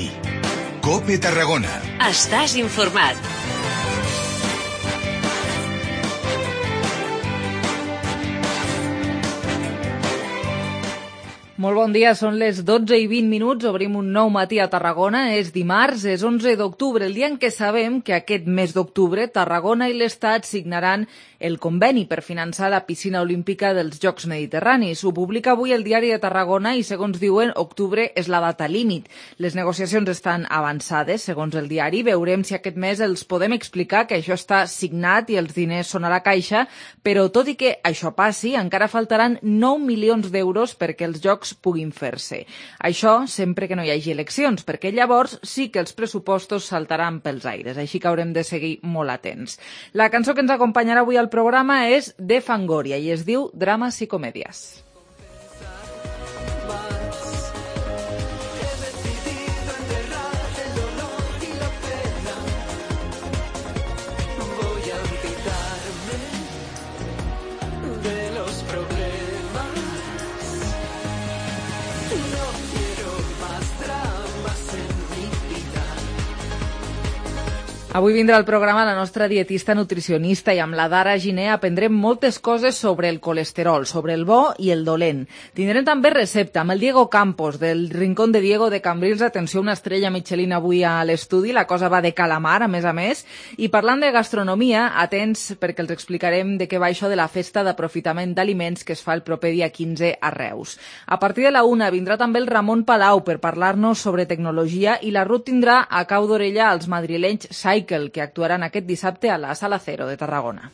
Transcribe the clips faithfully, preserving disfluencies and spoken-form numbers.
matí. COPE Tarragona. Estàs informat. Molt bon dia, són les dotze i vint minuts, obrim un nou matí a Tarragona, és dimarts, és onze d'octubre, el dia en què sabem que aquest mes d'octubre Tarragona i l'Estat signaran el conveni per finançar la piscina olímpica dels Jocs Mediterranis. Ho publica avui el Diari de Tarragona i, segons diuen, octubre és la data límit. Les negociacions estan avançades, segons el diari. Veurem si aquest mes els podem explicar que això està signat i els diners són a la caixa, però tot i que això passi, encara faltaran nou milions d'euros perquè els Jocs puguin fer-se. Això sempre que no hi hagi eleccions, perquè llavors sí que els pressupostos saltaran pels aires, així que haurem de seguir molt atents. La cançó que ens acompanyarà avui al programa és de Fangoria i es diu Drames i Comèdies. Avui vindrà al programa la nostra dietista nutricionista i amb la Dara Giner aprendrem moltes coses sobre el colesterol, sobre el bo i el dolent. Tindrem també recepta amb el Diego Campos del Rincón de Diego de Cambrils. Atenció, una estrella Michelin avui a l'estudi, la cosa va de calamar, a més a més. I parlant de gastronomia, atents perquè els explicarem de què va això de la festa d'aprofitament d'aliments que es fa el proper dia quinze a Reus. A partir de la una vindrà també el Ramon Palau per parlar-nos sobre tecnologia i la Ruth tindrà a cau d'orella als madrilenys Cycle, que actuaran aquest dissabte a la Sala Cero de Tarragona.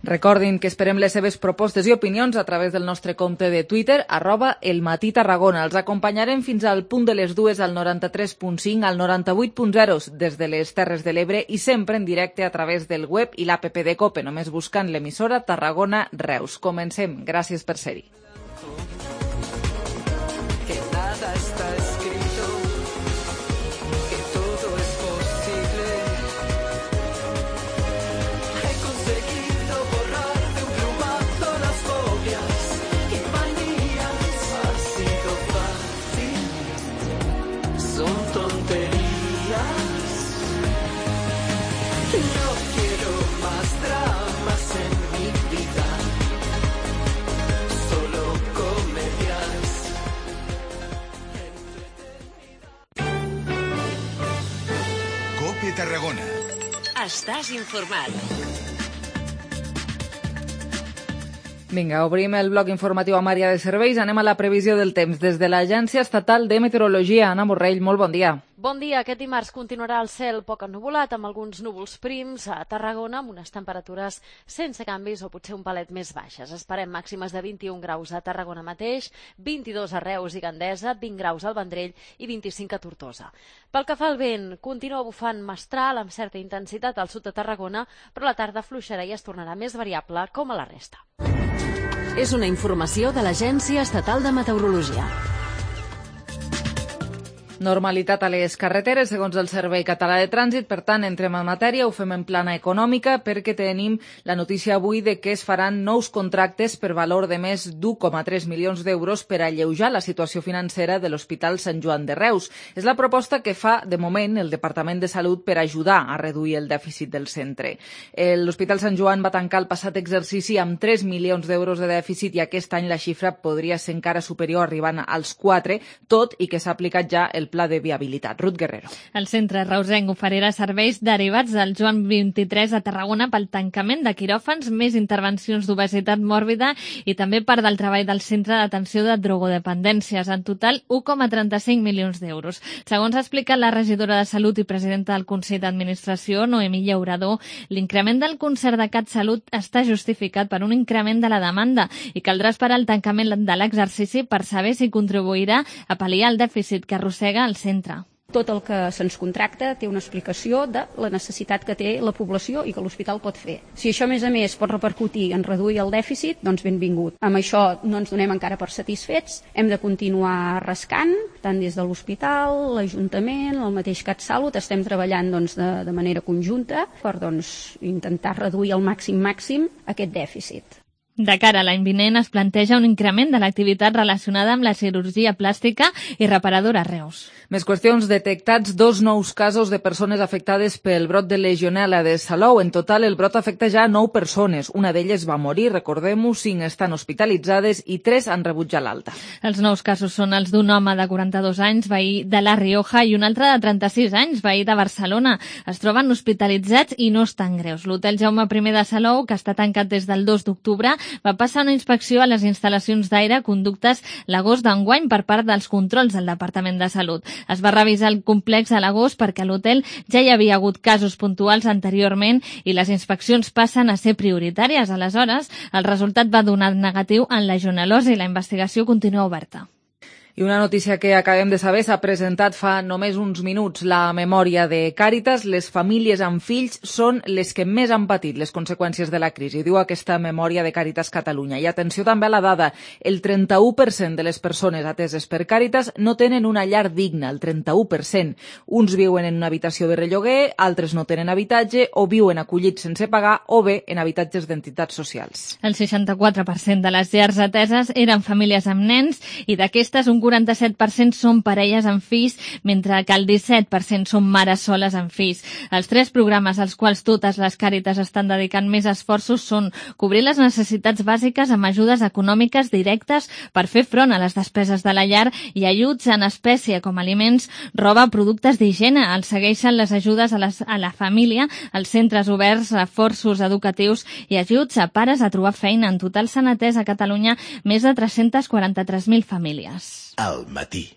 Recordin que esperem les seves propostes i opinions a través del nostre compte de Twitter, arroba elmatí-tarragona. Els acompanyarem fins al punt de les dues al noranta-tres punt cinc, al noranta-vuit punt zero des de les Terres de l'Ebre i sempre en directe a través del web i l'app de COPE, només buscant l'emissora Tarragona Reus. Comencem. Gràcies per ser-hi. COPE Tarragona. Estàs informat. Vinga, obrim el bloc informatiu amb àrea de serveis. Anem a la previsió del temps. Des de l'Agència Estatal de Meteorologia, Anna Borrell, molt bon dia. Bon dia. Aquest dimarts continuarà el cel poc ennuvolat, amb alguns núvols prims a Tarragona, amb unes temperatures sense canvis o potser un palet més baixes. Esperem màximes de vint-i-un graus a Tarragona mateix, vint-i-dos a Reus i Gandesa, vint graus al Vendrell i vint-i-cinc a Tortosa. Pel que fa al vent, continua bufant mestral amb certa intensitat al sud de Tarragona, però la tarda fluixarà i es tornarà més variable com a la resta. És una informació de l'Agència Estatal de Meteorologia. Normalitat a les carreteres, segons el Servei Català de Trànsit. Per tant, entrem en matèria, ho fem en plana econòmica, perquè tenim la notícia avui de que es faran nous contractes per valor de més d'un coma tres milions d'euros per alleujar la situació financera de l'Hospital Sant Joan de Reus. És la proposta que fa, de moment, el Departament de Salut per ajudar a reduir el dèficit del centre. L'Hospital Sant Joan va tancar el passat exercici amb tres milions d'euros de dèficit i aquest any la xifra podria ser encara superior, arribant als quatre, tot i que s'ha aplicat ja el pla de viabilitat. Ruth Guerrero. El centre reusenc oferirà serveis derivats del Joan vint-i-tres a Tarragona pel tancament de quiròfans, més intervencions d'obesitat mòrbida i també part del treball del centre d'atenció de drogodependències. En total, un coma trenta-cinc milions d'euros. Segons ha explicat la regidora de Salut i presidenta del Consell d'Administració, Noemí Llaurador, l'increment del concert de CatSalut està justificat per un increment de la demanda i caldrà esperar el tancament de l'exercici per saber si contribuirà a pal·liar el dèficit que arrossega al centre. Tot el que se'ns contracta té una explicació de la necessitat que té la població i que l'hospital pot fer. Si això, a més a més, pot repercutir en reduir el dèficit, doncs benvingut. Amb això no ens donem encara per satisfets, hem de continuar rascant, tant des de l'hospital, l'Ajuntament, el mateix CatSalut, estem treballant doncs, de, de manera conjunta per doncs, intentar reduir al màxim màxim aquest dèficit. De cara a l'any vinent es planteja un increment de l'activitat relacionada amb la cirurgia plàstica i reparadora a Reus. Més qüestions. Detectats dos nous casos de persones afectades pel brot de legionel·la de Salou. En total, el brot afecta ja nou persones. Una d'elles va morir, recordem-ho, cinc estan hospitalitzades i tres han rebut ja l'alta. Els nous casos són els d'un home de quaranta-dos anys, veí de La Rioja, i un altre de trenta-sis anys, veí de Barcelona. Es troben hospitalitzats i no estan greus. L'hotel Jaume primer de Salou, que està tancat des del dos d'octubre, va passar una inspecció a les instal·lacions d'aire conductes l'agost d'enguany per part dels controls del Departament de Salut. Es va revisar el complex a l'agost perquè a l'hotel ja hi havia hagut casos puntuals anteriorment i les inspeccions passen a ser prioritàries. Aleshores, el resultat va donar negatiu en legionel·losi i la investigació continua oberta. I una notícia que acabem de saber, s'ha presentat fa només uns minuts la memòria de Càritas. Les famílies amb fills són les que més han patit les conseqüències de la crisi, diu aquesta memòria de Càritas Catalunya. I atenció també a la dada, el trenta-u per cent de les persones ateses per Càritas no tenen una llar digna, el trenta-u per cent. Uns viuen en una habitació de relloguer, altres no tenen habitatge o viuen acollits sense pagar o bé en habitatges d'entitats socials. El seixanta-quatre per cent de les llars ateses eren famílies amb nens i d'aquestes un quaranta-set per cent són parelles amb fills, mentre que el disset per cent són mares soles amb fills. Els tres programes als quals totes les Càritas estan dedicant més esforços són cobrir les necessitats bàsiques amb ajudes econòmiques directes per fer front a les despeses de la llar i ajuts en espècie com aliments, roba, productes d'higiene. Els segueixen les ajudes a, les, a la família, els centres oberts, reforços educatius i ajuts a pares a trobar feina. En total s'han atès a Catalunya més de tres-cents quaranta-tres mil famílies. Al matí.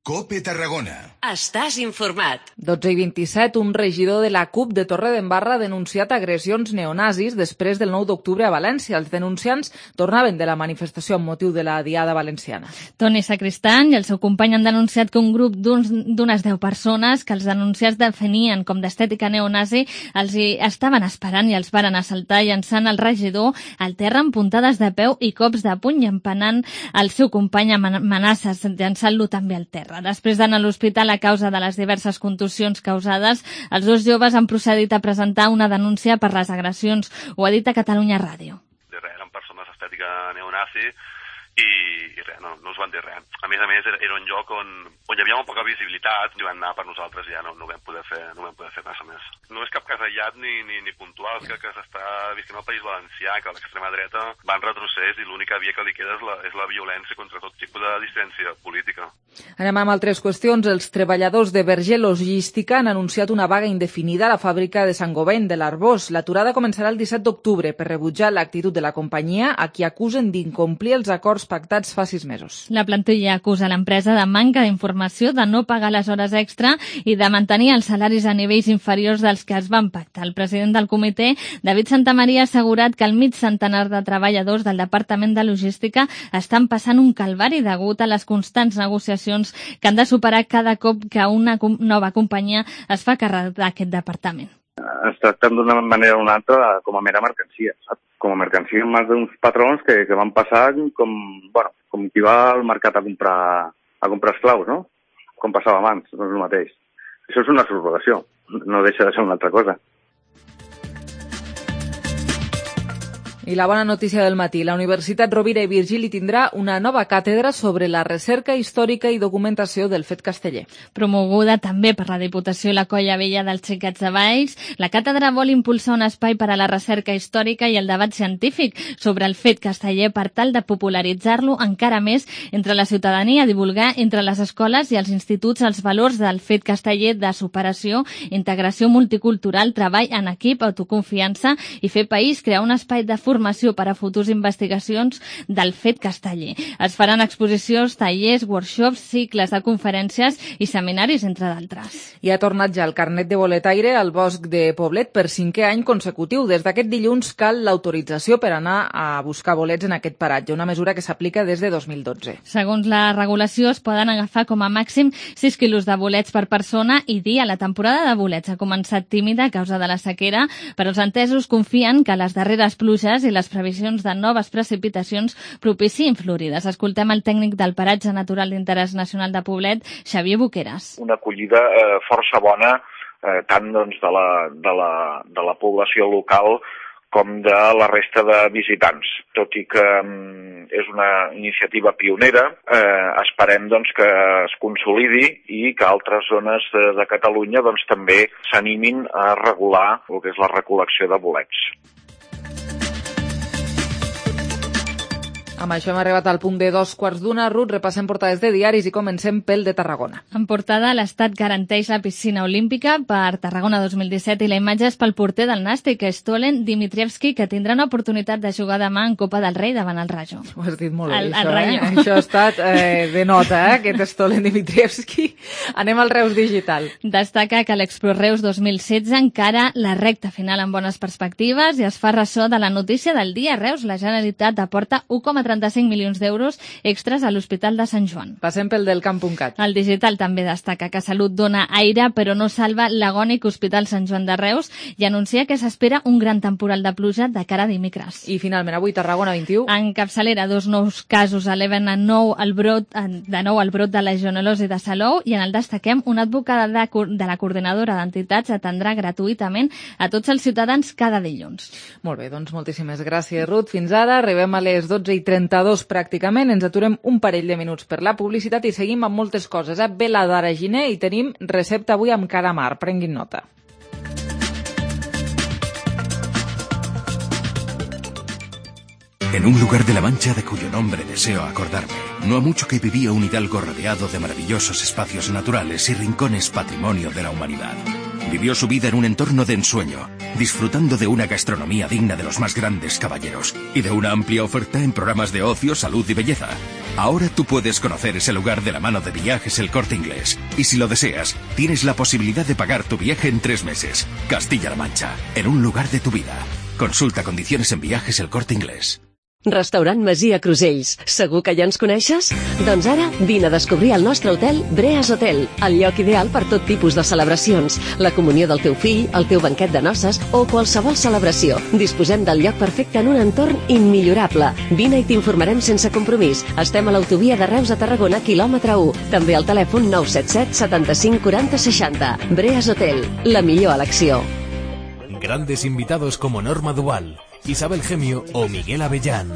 COPE Tarragona. Estàs informat. dotze i vint-i-set, un regidor de la CUP de Torredembarra ha denunciat agressions neonazis després del nou d'octubre a València. Els denunciants tornaven de la manifestació amb motiu de la Diada Valenciana. Toni Sacristán i el seu company han denunciat que un grup d'unes deu persones que els denunciats definien com d'estètica neonazi els hi estaven esperant i els varen assaltar llançant el regidor al terra amb puntades de peu i cops de puny, empenant el seu company amb amenaces, llançant-lo també al terra. Després d'anar a l'hospital a causa de les diverses contusions causades, els dos joves han procedit a presentar una denúncia per les agressions. Ho ha dit a Catalunya Ràdio. Eren persones d'estètica neonazi i, i res, no, no us van dir res. A més a més, era, era un lloc on, on hi havia molt poca visibilitat i van anar per nosaltres i ja no, no vam poder fer, no vam poder fer massa més. No és cap cas aïllat ni, ni, ni puntual, que, que s'està visquent al País Valencià, que l'extrema dreta va en retrocés i l'única via que li queda és la, és la violència contra tot tipus de dissidència política. Anem amb altres qüestions. Els treballadors de Berger Logística han anunciat una vaga indefinida a la fàbrica de Sant Govent de l'Arbós. L'aturada començarà el disset d'octubre per rebutjar l'actitud de la companyia, a qui acusen d'incomplir els acords pactats fa sis mesos. La plantilla acusa l'empresa de manca d'informació, de no pagar les hores extra i de mantenir els salaris a nivells inferiors dels que es van pactar. El president del comitè, David Santamaria, ha assegurat que el mig centenar de treballadors del Departament de Logística estan passant un calvari degut a les constants negociacions que han de superar cada cop que una nova companyia es fa càrrec d'aquest departament. Es tracten d'una manera o una altra com a mera mercancia, saps? Com a mercancia en mans d'uns patrons que, que van passar com, bueno, com qui va al mercat a comprar, a comprar esclaus, no? Com passava abans, no és el mateix. Això és una subrogació, no deixa de ser una altra cosa. I la bona notícia del matí, la Universitat Rovira i Virgili tindrà una nova càtedra sobre la recerca històrica i documentació del fet casteller. Promoguda també per la Diputació i la Colla Vella dels Xiquets de Valls, la càtedra vol impulsar un espai per a la recerca històrica i el debat científic sobre el fet casteller per tal de popularitzar-lo encara més entre la ciutadania, divulgar entre les escoles i els instituts els valors del fet casteller de superació, integració multicultural, treball en equip, autoconfiança i fer país, crear un espai de formació per a futures investigacions del fet casteller. Es faran exposicions, tallers, workshops, cicles de conferències i seminaris, entre d'altres. I ha tornat ja el carnet de boletaire al Bosc de Poblet per cinquè any consecutiu. Des d'aquest dilluns cal l'autorització per anar a buscar bolets en aquest paratge, una mesura que s'aplica des de dos mil dotze. Segons la regulació, es poden agafar com a màxim sis quilos de bolets per persona i dia. La temporada de bolets ha començat tímida a causa de la sequera, però els entesos confien que les darreres pluges i les previsions de noves precipitacions propicien florides. Escoltem el tècnic del Paratge Natural d'Interès Nacional de Poblet, Xavier Boqueras. Una acollida eh, força bona, eh, tant doncs, de, la, de, la, de la població local com de la resta de visitants. Tot i que um, és una iniciativa pionera, eh, esperem doncs, que es consolidi i que altres zones de, de Catalunya doncs, també s'animin a regular el que és la recol·lecció de bolets. Amb això hem arribat al punt de dos quarts d'una. Ruth, repassem portades de diaris i comencem pel de Tarragona. En portada, l'Estat garanteix la piscina olímpica per Tarragona dos mil disset i la imatge és pel porter del Nàstic, Stolen Dimitrievski, que tindrà una oportunitat de jugar demà en Copa del Rei davant el Rayo. Ho has dit molt bé, el, això, el eh? Això ha estat eh, de nota, eh? Aquest Stolen Dimitrievski. Anem al Reus Digital. Destaca que l'Expo Reus dos mil setze encara la recta final amb bones perspectives i es fa ressò de la notícia del dia. Reus, la Generalitat aporta u coma trenta-cinc milions d'euros extras a l'Hospital de Sant Joan. Passem pel del camp punt cat. El Digital també destaca que Salut dona aire però no salva l'agònic Hospital Sant Joan de Reus i anuncia que s'espera un gran temporal de pluja de cara a dimecres. I finalment avui Tarragona vint-i-u. En capçalera, dos nous casos eleven a nou el brot, de nou el brot de legionel·losi de Salou i en el destaquem una advocada de, de la coordinadora d'entitats atendrà gratuïtament a tots els ciutadans cada dilluns. Molt bé, doncs moltíssimes gràcies, Ruth. Fins ara, arribem a les dotze i trenta-dos pràcticament, ens aturem un parell de minuts per la publicitat i seguim amb moltes coses. Eh? Ve la Dara Giner i tenim recepta avui amb calamar. Prenguin nota. En un lugar de la Mancha de cuyo nombre deseo acordarme, no ha mucho que vivía un hidalgo rodeado de maravillosos espacios naturales y rincones patrimonio de la humanidad. Vivió su vida en un entorno de ensueño, disfrutando de una gastronomía digna de los más grandes caballeros y de una amplia oferta en programas de ocio, salud y belleza. Ahora tú puedes conocer ese lugar de la mano de Viajes El Corte Inglés. Y si lo deseas, tienes la posibilidad de pagar tu viaje en tres meses. Castilla-La Mancha, en un lugar de tu vida. Consulta condiciones en Viajes El Corte Inglés. Restaurant Masia Crusells. Segur que ja ens coneixes? Doncs ara vine a descobrir el nostre hotel Breas Hotel, el lloc ideal per tot tipus de celebracions, la comunió del teu fill, el teu banquet de noces o qualsevol celebració. Disposem del lloc perfecte en un entorn immillorable. Vine i t'informarem sense compromís. Estem a l'autovia de Reus a Tarragona, quilòmetre u. També al telèfon nou set set setanta-cinc quaranta seixanta. Breas Hotel, la millor elecció. Grandes invitados como Norma Duval, Isabel Gemio o Miguel Avellán.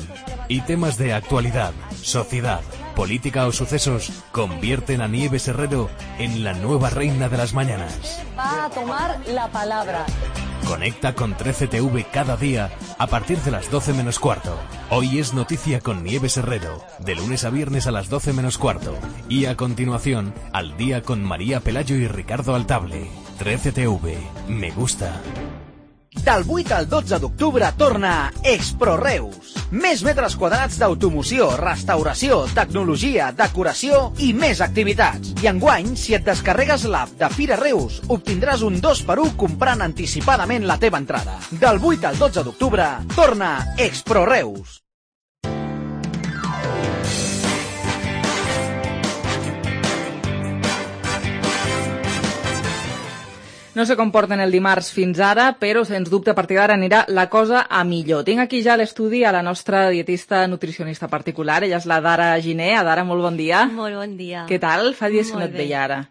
Y temas de actualidad, sociedad, política o sucesos convierten a Nieves Herrero en la nueva reina de las mañanas. Va a tomar la palabra. Conecta con trece T V cada día a partir de las doce menos cuarto. Hoy es noticia con Nieves Herrero, de lunes a viernes a las doce menos cuarto. Y a continuación, Al día con María Pelayo y Ricardo Altable. trece T V. Me gusta. Del vuit al dotze d'octubre torna Expro Reus. Més metres quadrats d'automoció, restauració, tecnologia, decoració i més activitats. I enguany, si et descarregues l'app de Fira Reus, obtindràs un dos per u comprant anticipadament la teva entrada. Del vuit al dotze d'octubre torna Expro Reus. No sé com porten el dimarts fins ara, però sens dubte a partir d'ara anirà la cosa a millor. Tinc aquí ja a l'estudi a la nostra dietista nutricionista particular, ella és la Dara Giner. Dara, molt bon dia. Molt bon dia. Què tal? Fa dies que no et veia ara.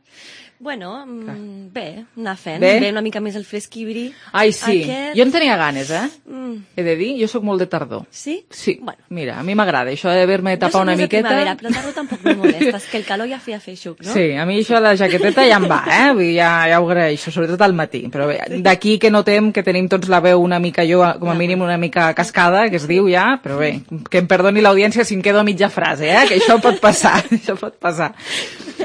Bueno, mm, bé, anar fent. Bé? Bé, una mica més el fresquibri. Ai, sí. Aquest... Jo en tenia ganes, eh? Mm. He de dir, jo sóc molt de tardor. Sí? Sí. Bueno. Mira, a mi m'agrada això d'haver-me tapar una miqueta. Jo soc més de primavera, però tardor tampoc me molesta, és que el calor ja feia feixuc, no? Sí, a mi això de la jaqueteta ja em va, eh? Vull dir, ja, ja ho agraeixo, sobretot al matí. Però bé, d'aquí que notem que tenim tots la veu una mica, jo com a mínim una mica cascada, que es diu ja, però bé, que em perdoni l'audiència si em quedo a mitja frase, eh? Que això pot passar, això pot passar.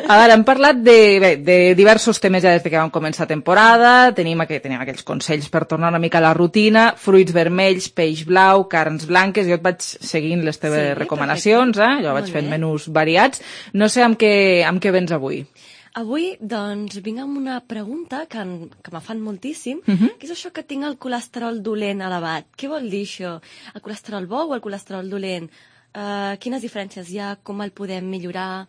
A veure, hem parlat de, bé, de diversos temes ja des que vam començar temporada, tenim, aqu tenim aquells consells per tornar una mica a la rutina, fruits vermells, peix blau, carns blanques, jo et vaig seguint les teves sí, recomanacions, eh? Jo vaig fent menús variats. No sé amb què, amb què vens avui. Avui, doncs, vinc amb una pregunta que, en, que me fan moltíssim, Uh -huh. que és això que tinc el colesterol dolent elevat. Què vol dir això? El colesterol bo o el colesterol dolent? Uh, quines diferències hi ha? Com el podem millorar?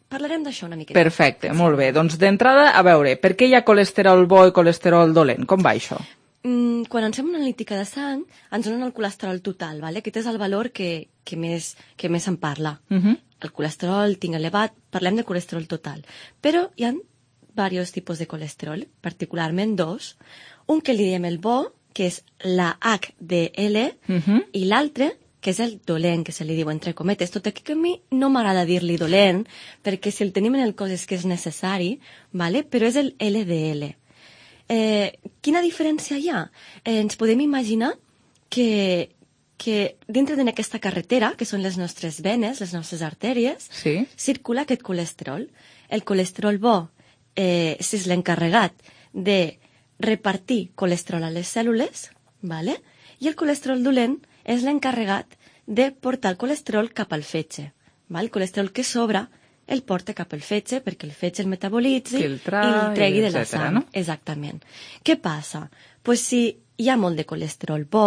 Parlarem d'això una miqueta. Perfecte, molt bé. Doncs d'entrada, a veure, per què hi ha colesterol bo i colesterol dolent? Com va això? Mm, quan ens fem una analítica de sang, ens donen el colesterol total, ¿vale? Aquest és el valor que, que, més, que més se'n parla. Uh -huh. El colesterol tinc elevat, parlem de colesterol total. Però hi ha diversos tipus de colesterol, particularment dos. Un que li diem el bo, que és la H D L, uh-huh. i l'altre, que és el dolent, que se li diu entre cometes. Tot aquí que a mi no m'agrada dir-li dolent, perquè si el tenim en el cos és que és necessari, vale? Però és el L D L. Eh, quina diferència hi ha? Eh, ens podem imaginar que, que dintre d'aquesta carretera, que són les nostres venes, les nostres artèries, sí. circula aquest colesterol. El colesterol bo eh, és l'encarregat de repartir colesterol a les cèl·lules, vale? I el colesterol dolent és l'encarregat de portar el colesterol cap al fetge. Val? El colesterol que sobra el porta cap al fetge perquè el fetge el metabolitzi Filtrar, i el tregui de la etcètera, sang. No? Exactament. Què passa? Pues si hi ha molt de colesterol bo,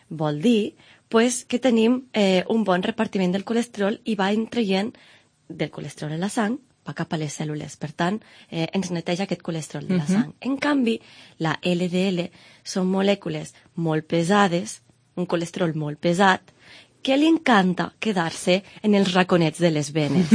vol dir pues, que tenim eh, un bon repartiment del colesterol i va traient del colesterol a la sang va cap a les cèl·lules. Per tant, eh, ens neteja aquest colesterol de la uh-huh. sang. En canvi, la L D L són molècules molt pesades, un colesterol molt pesat, que li encanta quedar-se en els raconets de les venes.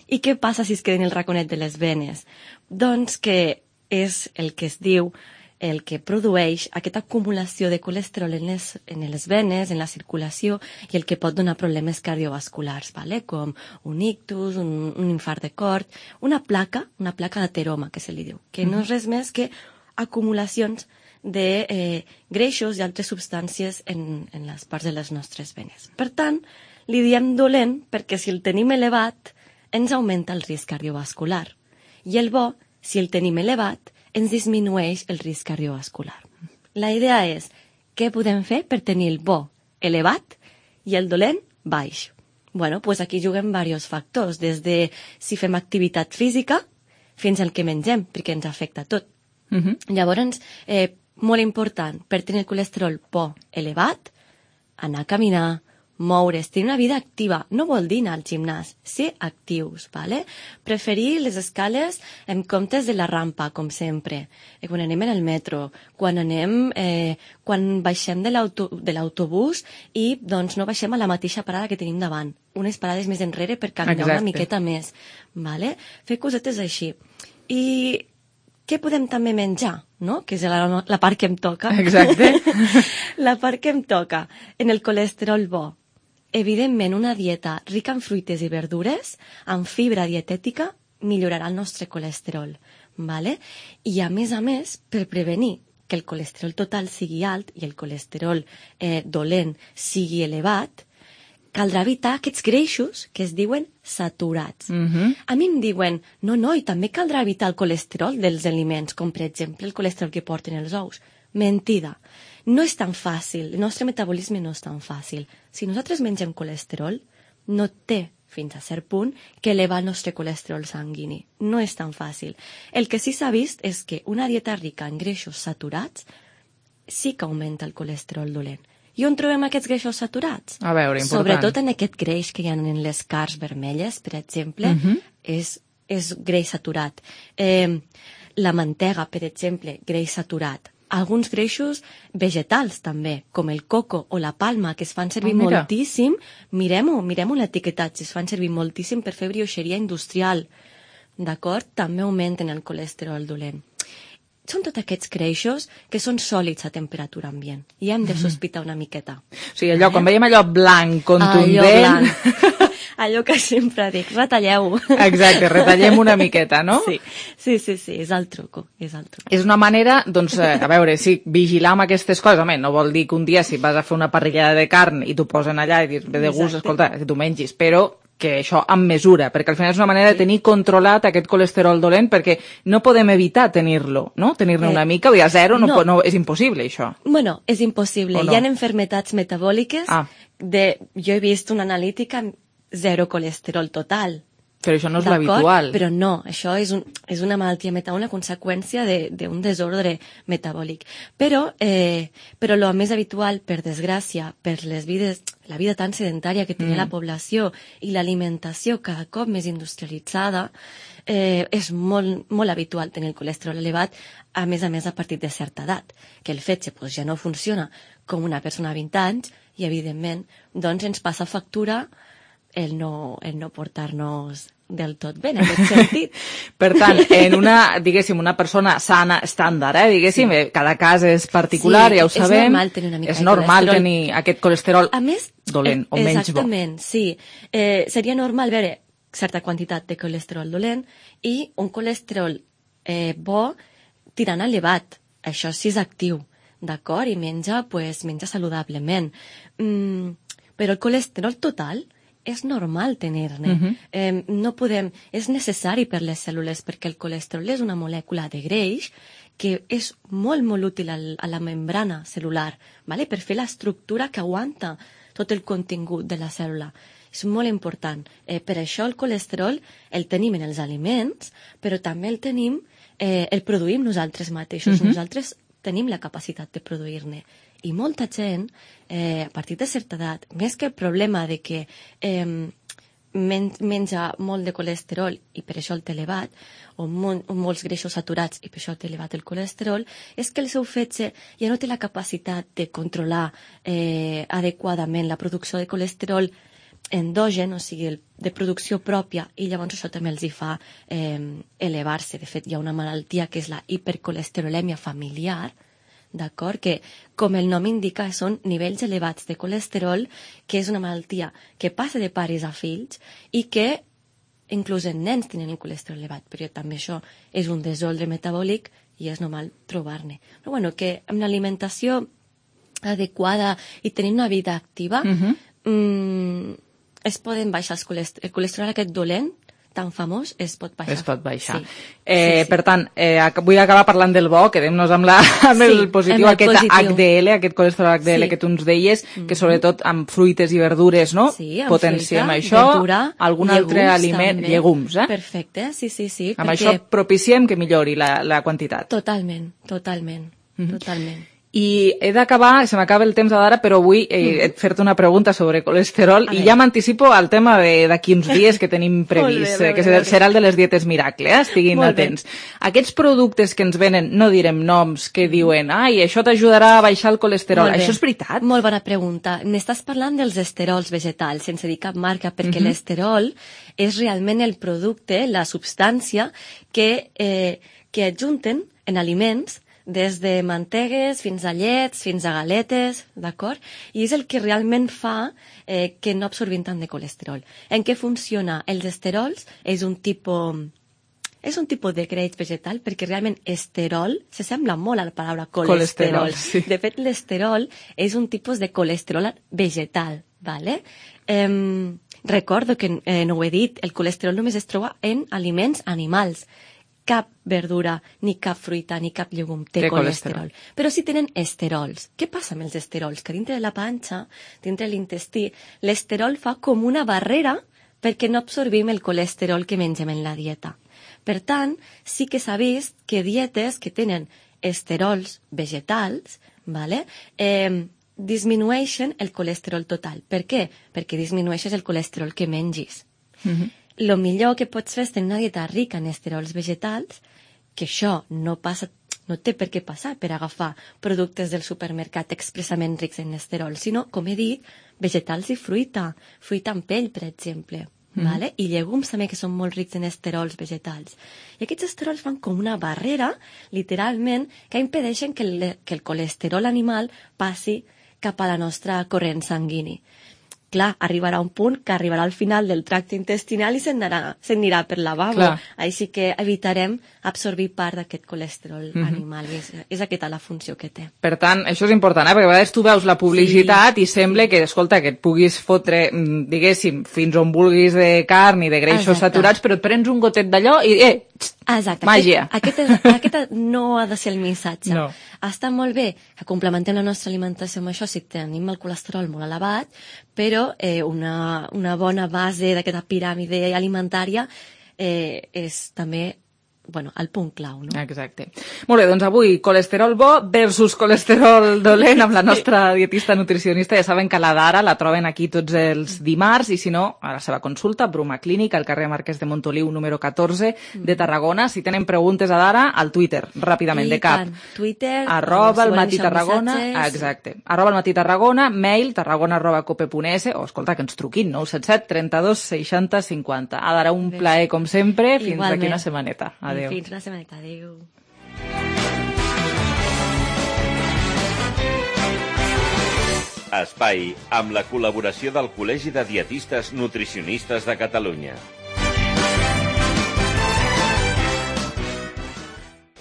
I què passa si es queda en el raconet de les venes? Doncs que és el que es diu, el que produeix aquesta acumulació de colesterol en les, en les venes, en la circulació, i el que pot donar problemes cardiovasculars, vale? Com un ictus, un, un infart de cor, una placa, una placa d'ateroma, que se li diu, que no és res més que acumulacions de eh, greixos i altres substàncies en, en les parts de les nostres venes. Per tant, li diem dolent perquè si el tenim elevat ens augmenta el risc cardiovascular. I el bo, si el tenim elevat, ens disminueix el risc cardiovascular. La idea és què podem fer per tenir el bo elevat i el dolent baix. Bueno, pues aquí juguem diversos factors, des de si fem activitat física fins al que mengem, perquè ens afecta tot. Uh-huh. Llavors, eh, molt important, per tenir el colesterol bo elevat, anar a caminar, moure's, tenir una vida activa. No vol dir anar al gimnàs, ser actius, ¿vale? Preferir les escales en comptes de la rampa, com sempre. Eh, quan anem en el metro, quan anem, eh, quan baixem de l'autobús i doncs no baixem a la mateixa parada que tenim davant. Unes parades més enrere per caminar Exacte. Una miqueta més, ¿vale? Fer cosetes així. I què podem també menjar, no? Que és la, la part que em toca. Exacte. La part que em toca. En el colesterol bo. Evidentment, una dieta rica en fruites i verdures, amb fibra dietètica, millorarà el nostre colesterol. ¿Vale? I a més a més, per prevenir que el colesterol total sigui alt i el colesterol eh, dolent sigui elevat, caldrà evitar aquests greixos que es diuen saturats. Uh-huh. A mi em diuen, no, no, i també caldrà evitar el colesterol dels aliments, com per exemple el colesterol que porten els ous. Mentida. No és tan fàcil, el nostre metabolisme no és tan fàcil. Si nosaltres mengem colesterol, no té fins a cert punt que elevar el nostre colesterol sanguini. No és tan fàcil. El que sí s'ha vist és que una dieta rica en greixos saturats sí que augmenta el colesterol dolent. I on trobem aquests greixos saturats? A veure, important. Sobretot en aquest greix que hi ha en les carns vermelles, per exemple, uh-huh. és, és greix saturat. Eh, la mantega, per exemple, greix saturat. Alguns greixos vegetals, també, com el coco o la palma, que es fan servir oh, moltíssim. Mirem-ho, mirem-ho l'etiquetatge, es fan servir moltíssim per fer brioixeria industrial. D'acord? També augmenten el colesterol dolent. Són tots aquests greixos que són sòlids a temperatura ambient i hem de sospitar una miqueta. O sigui, allò, quan veiem allò blanc, contundent... Allò blanc. Allò que sempre dic, retalleu-ho. Exacte, retallem una miqueta, no? Sí, sí, sí, sí, és el truco, és el truco. És una manera, doncs, a veure, sí, vigilar amb aquestes coses. Home, no vol dir que un dia si vas a fer una parrillada de carn i t'ho posen allà i dius, ve de gust, escolta, que t'ho mengis, però que això amb mesura, perquè al final és una manera de tenir controlat aquest colesterol dolent, perquè no podem evitar tenir-lo, no? Tenir-ne una mica, o a zero, no, no. no, és impossible, això. Bueno, és impossible. No? Hi ha enfermetats metabòliques ah. de... Jo he vist una analítica zero colesterol total. Però això no és l'habitual. Però no, això és, un, és una malaltia metabòlica, una conseqüència d'un de, desordre metabòlic. Però, eh, però el més habitual, per desgràcia, per les vides, la vida tan sedentària que té mm. la població i l'alimentació cada cop més industrialitzada, eh, és molt, molt habitual tenir el colesterol elevat, a més a més a partir de certa edat, que el fetge pues, ja no funciona com una persona de vint anys i, evidentment, doncs ens passa factura el no, el no portar-nos del tot bé, en aquest sentit. Per tant, en una, diguéssim, una persona sana, estàndard, eh, diguéssim, sí. Cada cas és particular, sí, ja ho sabem. És normal tenir una mica és de normal colesterol. tenir aquest colesterol a més, dolent o menys bo. Exactament, sí. Eh, seria normal veure certa quantitat de colesterol dolent i un colesterol eh, bo tirant elevat. Això sí és actiu, d'acord? I menja, pues, menja saludablement. Mm, però el colesterol total és normal tenir-ne. Uh-huh. eh, no podem... És necessari per les cèl·lules perquè el colesterol és una molècula de greix que és molt, molt útil al, a la membrana cel·lular, ¿vale? Per fer l'estructura que aguanta tot el contingut de la cèl·lula. És molt important. Eh, per això el colesterol el tenim en els aliments, però també el tenim, eh, el produïm nosaltres mateixos. Uh-huh. Nosaltres tenim la capacitat de produir-ne. I molta gent, eh, a partir de certa edat, més que el problema de que eh, men menja molt de colesterol i per això el té elevat, o, mo o molts greixos saturats i per això té elevat el colesterol, és que el seu fetge ja no té la capacitat de controlar eh, adequadament la producció de colesterol endogen, o sigui, el, de producció pròpia, i llavors això també els hi fa eh, elevar-se. De fet, hi ha una malaltia que és la hipercolesterolèmia familiar, d'acord? Que, com el nom indica, són nivells elevats de colesterol, que és una malaltia que passa de pares a fills i que inclús en nens tenen el colesterol elevat, però també això és un desordre metabòlic i és normal trobar-ne. Però bueno, que amb l'alimentació adequada i tenint una vida activa, uh-huh. mmm, es poden baixar els colesterol, el colesterol aquest dolent, tan famós, es pot baixar. Es pot baixar. Sí. Eh, sí, sí. Per tant, eh, vull acabar parlant del bo, quedem-nos amb, la, amb sí, el positiu, amb el aquest positiu. H D L, aquest colesterol H D L sí. que tu ens deies, mm-hmm. que sobretot amb fruites i verdures, no? Sí, amb potenciem fruita, això, verdura, algun llegums, altre aliment, també. llegums, eh? Perfecte, sí, sí, sí. Amb perquè... això propiciem que millori la, la quantitat. Totalment, totalment, mm-hmm. totalment. I he d'acabar, se m'acaba el temps d'ara, però vull eh, mm-hmm. fer-te una pregunta sobre colesterol i ja m'anticipo al tema d'aquí uns dies que tenim previst, bé, bé, que bé, serà el de les dietes miracle, eh? Estiguin molt atents. Bé. Aquests productes que ens venen, no direm noms, que diuen, ai, això t'ajudarà a baixar el colesterol, això és veritat? Molt bona pregunta. N'estàs parlant dels esterols vegetals, sense dir cap marca, perquè mm-hmm. l'esterol és realment el producte, la substància que, eh, que adjunten en aliments des de mantegues fins a llets, fins a galetes, d'acord? I és el que realment fa eh, que no absorbim tant de colesterol. En què funciona? Els esterols és un tipus... És un tipus de greix vegetal perquè realment esterol se sembla molt a la paraula colesterol. colesterol sí. De fet, l'esterol és un tipus de colesterol vegetal, ¿vale? Eh, recordo que eh, no ho he dit, el colesterol només es troba en aliments animals. Cap verdura, ni cap fruita, ni cap llegum té, té colesterol. colesterol. Però sí tenen esterols. Què passa amb els esterols? Que dintre de la panxa, dintre de l'intestí, l'esterol fa com una barrera perquè no absorbim el colesterol que mengem en la dieta. Per tant, sí que s'ha vist que dietes que tenen esterols vegetals, ¿vale? eh, disminueixen el colesterol total. Per què? Perquè disminueixes el colesterol que mengis. Mm-hmm. Lo millor que pots fer és tenir una dieta rica en esterols vegetals, que això no passa, no té per què passar per agafar productes del supermercat expressament rics en esterols, sinó, com he dit, vegetals i fruita, fruita amb pell, per exemple, mm. vale? I llegums també que són molt rics en esterols vegetals. I aquests esterols fan com una barrera, literalment, que impedeixen que el, que el colesterol animal passi cap a la nostra corrent sanguini. Clar, arribarà un punt que arribarà al final del tracte intestinal i se'n anirà per lavabo. Clar. Així que evitarem absorbir part d'aquest colesterol mm-hmm. animal. És, és aquesta la funció que té. Per tant, això és important, eh? Perquè a vegades tu veus la publicitat sí. i sembla que, escolta, que et puguis fotre, diguéssim, fins on vulguis de carn i de greixos Exacte. saturats, però et prens un gotet d'allò i, eh, Exacte. màgia. Aquest, aquest, aquest no ha de ser el missatge. No. Està molt bé que complementem la nostra alimentació amb això si tenim el colesterol molt elevat, però eh, una, una bona base d'aquesta piràmide alimentària eh, és també bueno, el punt clau, no? Exacte. Molt bé, doncs avui colesterol bo versus colesterol dolent amb la nostra dietista nutricionista. Ja saben que la Dara la troben aquí tots els dimarts i si no, a la seva consulta, Bruma Clínica, al carrer Marquès de Montoliu, número catorze de Tarragona. Si tenen preguntes a Dara, al Twitter, ràpidament, de cap. Twitter, arroba el matí Tarragona, exacte. Arroba el matí Tarragona, mail tarragona arroba cope punt es, o escolta, que ens truquin, nou set set trenta-dos seixanta cinquanta. A Dara, un plaer com sempre, fins Igualment. d'aquí una setmaneta. Adéu. Fins una setmaneta, adéu. Espai amb la col·laboració del Col·legi de Dietistes Nutricionistes de Catalunya.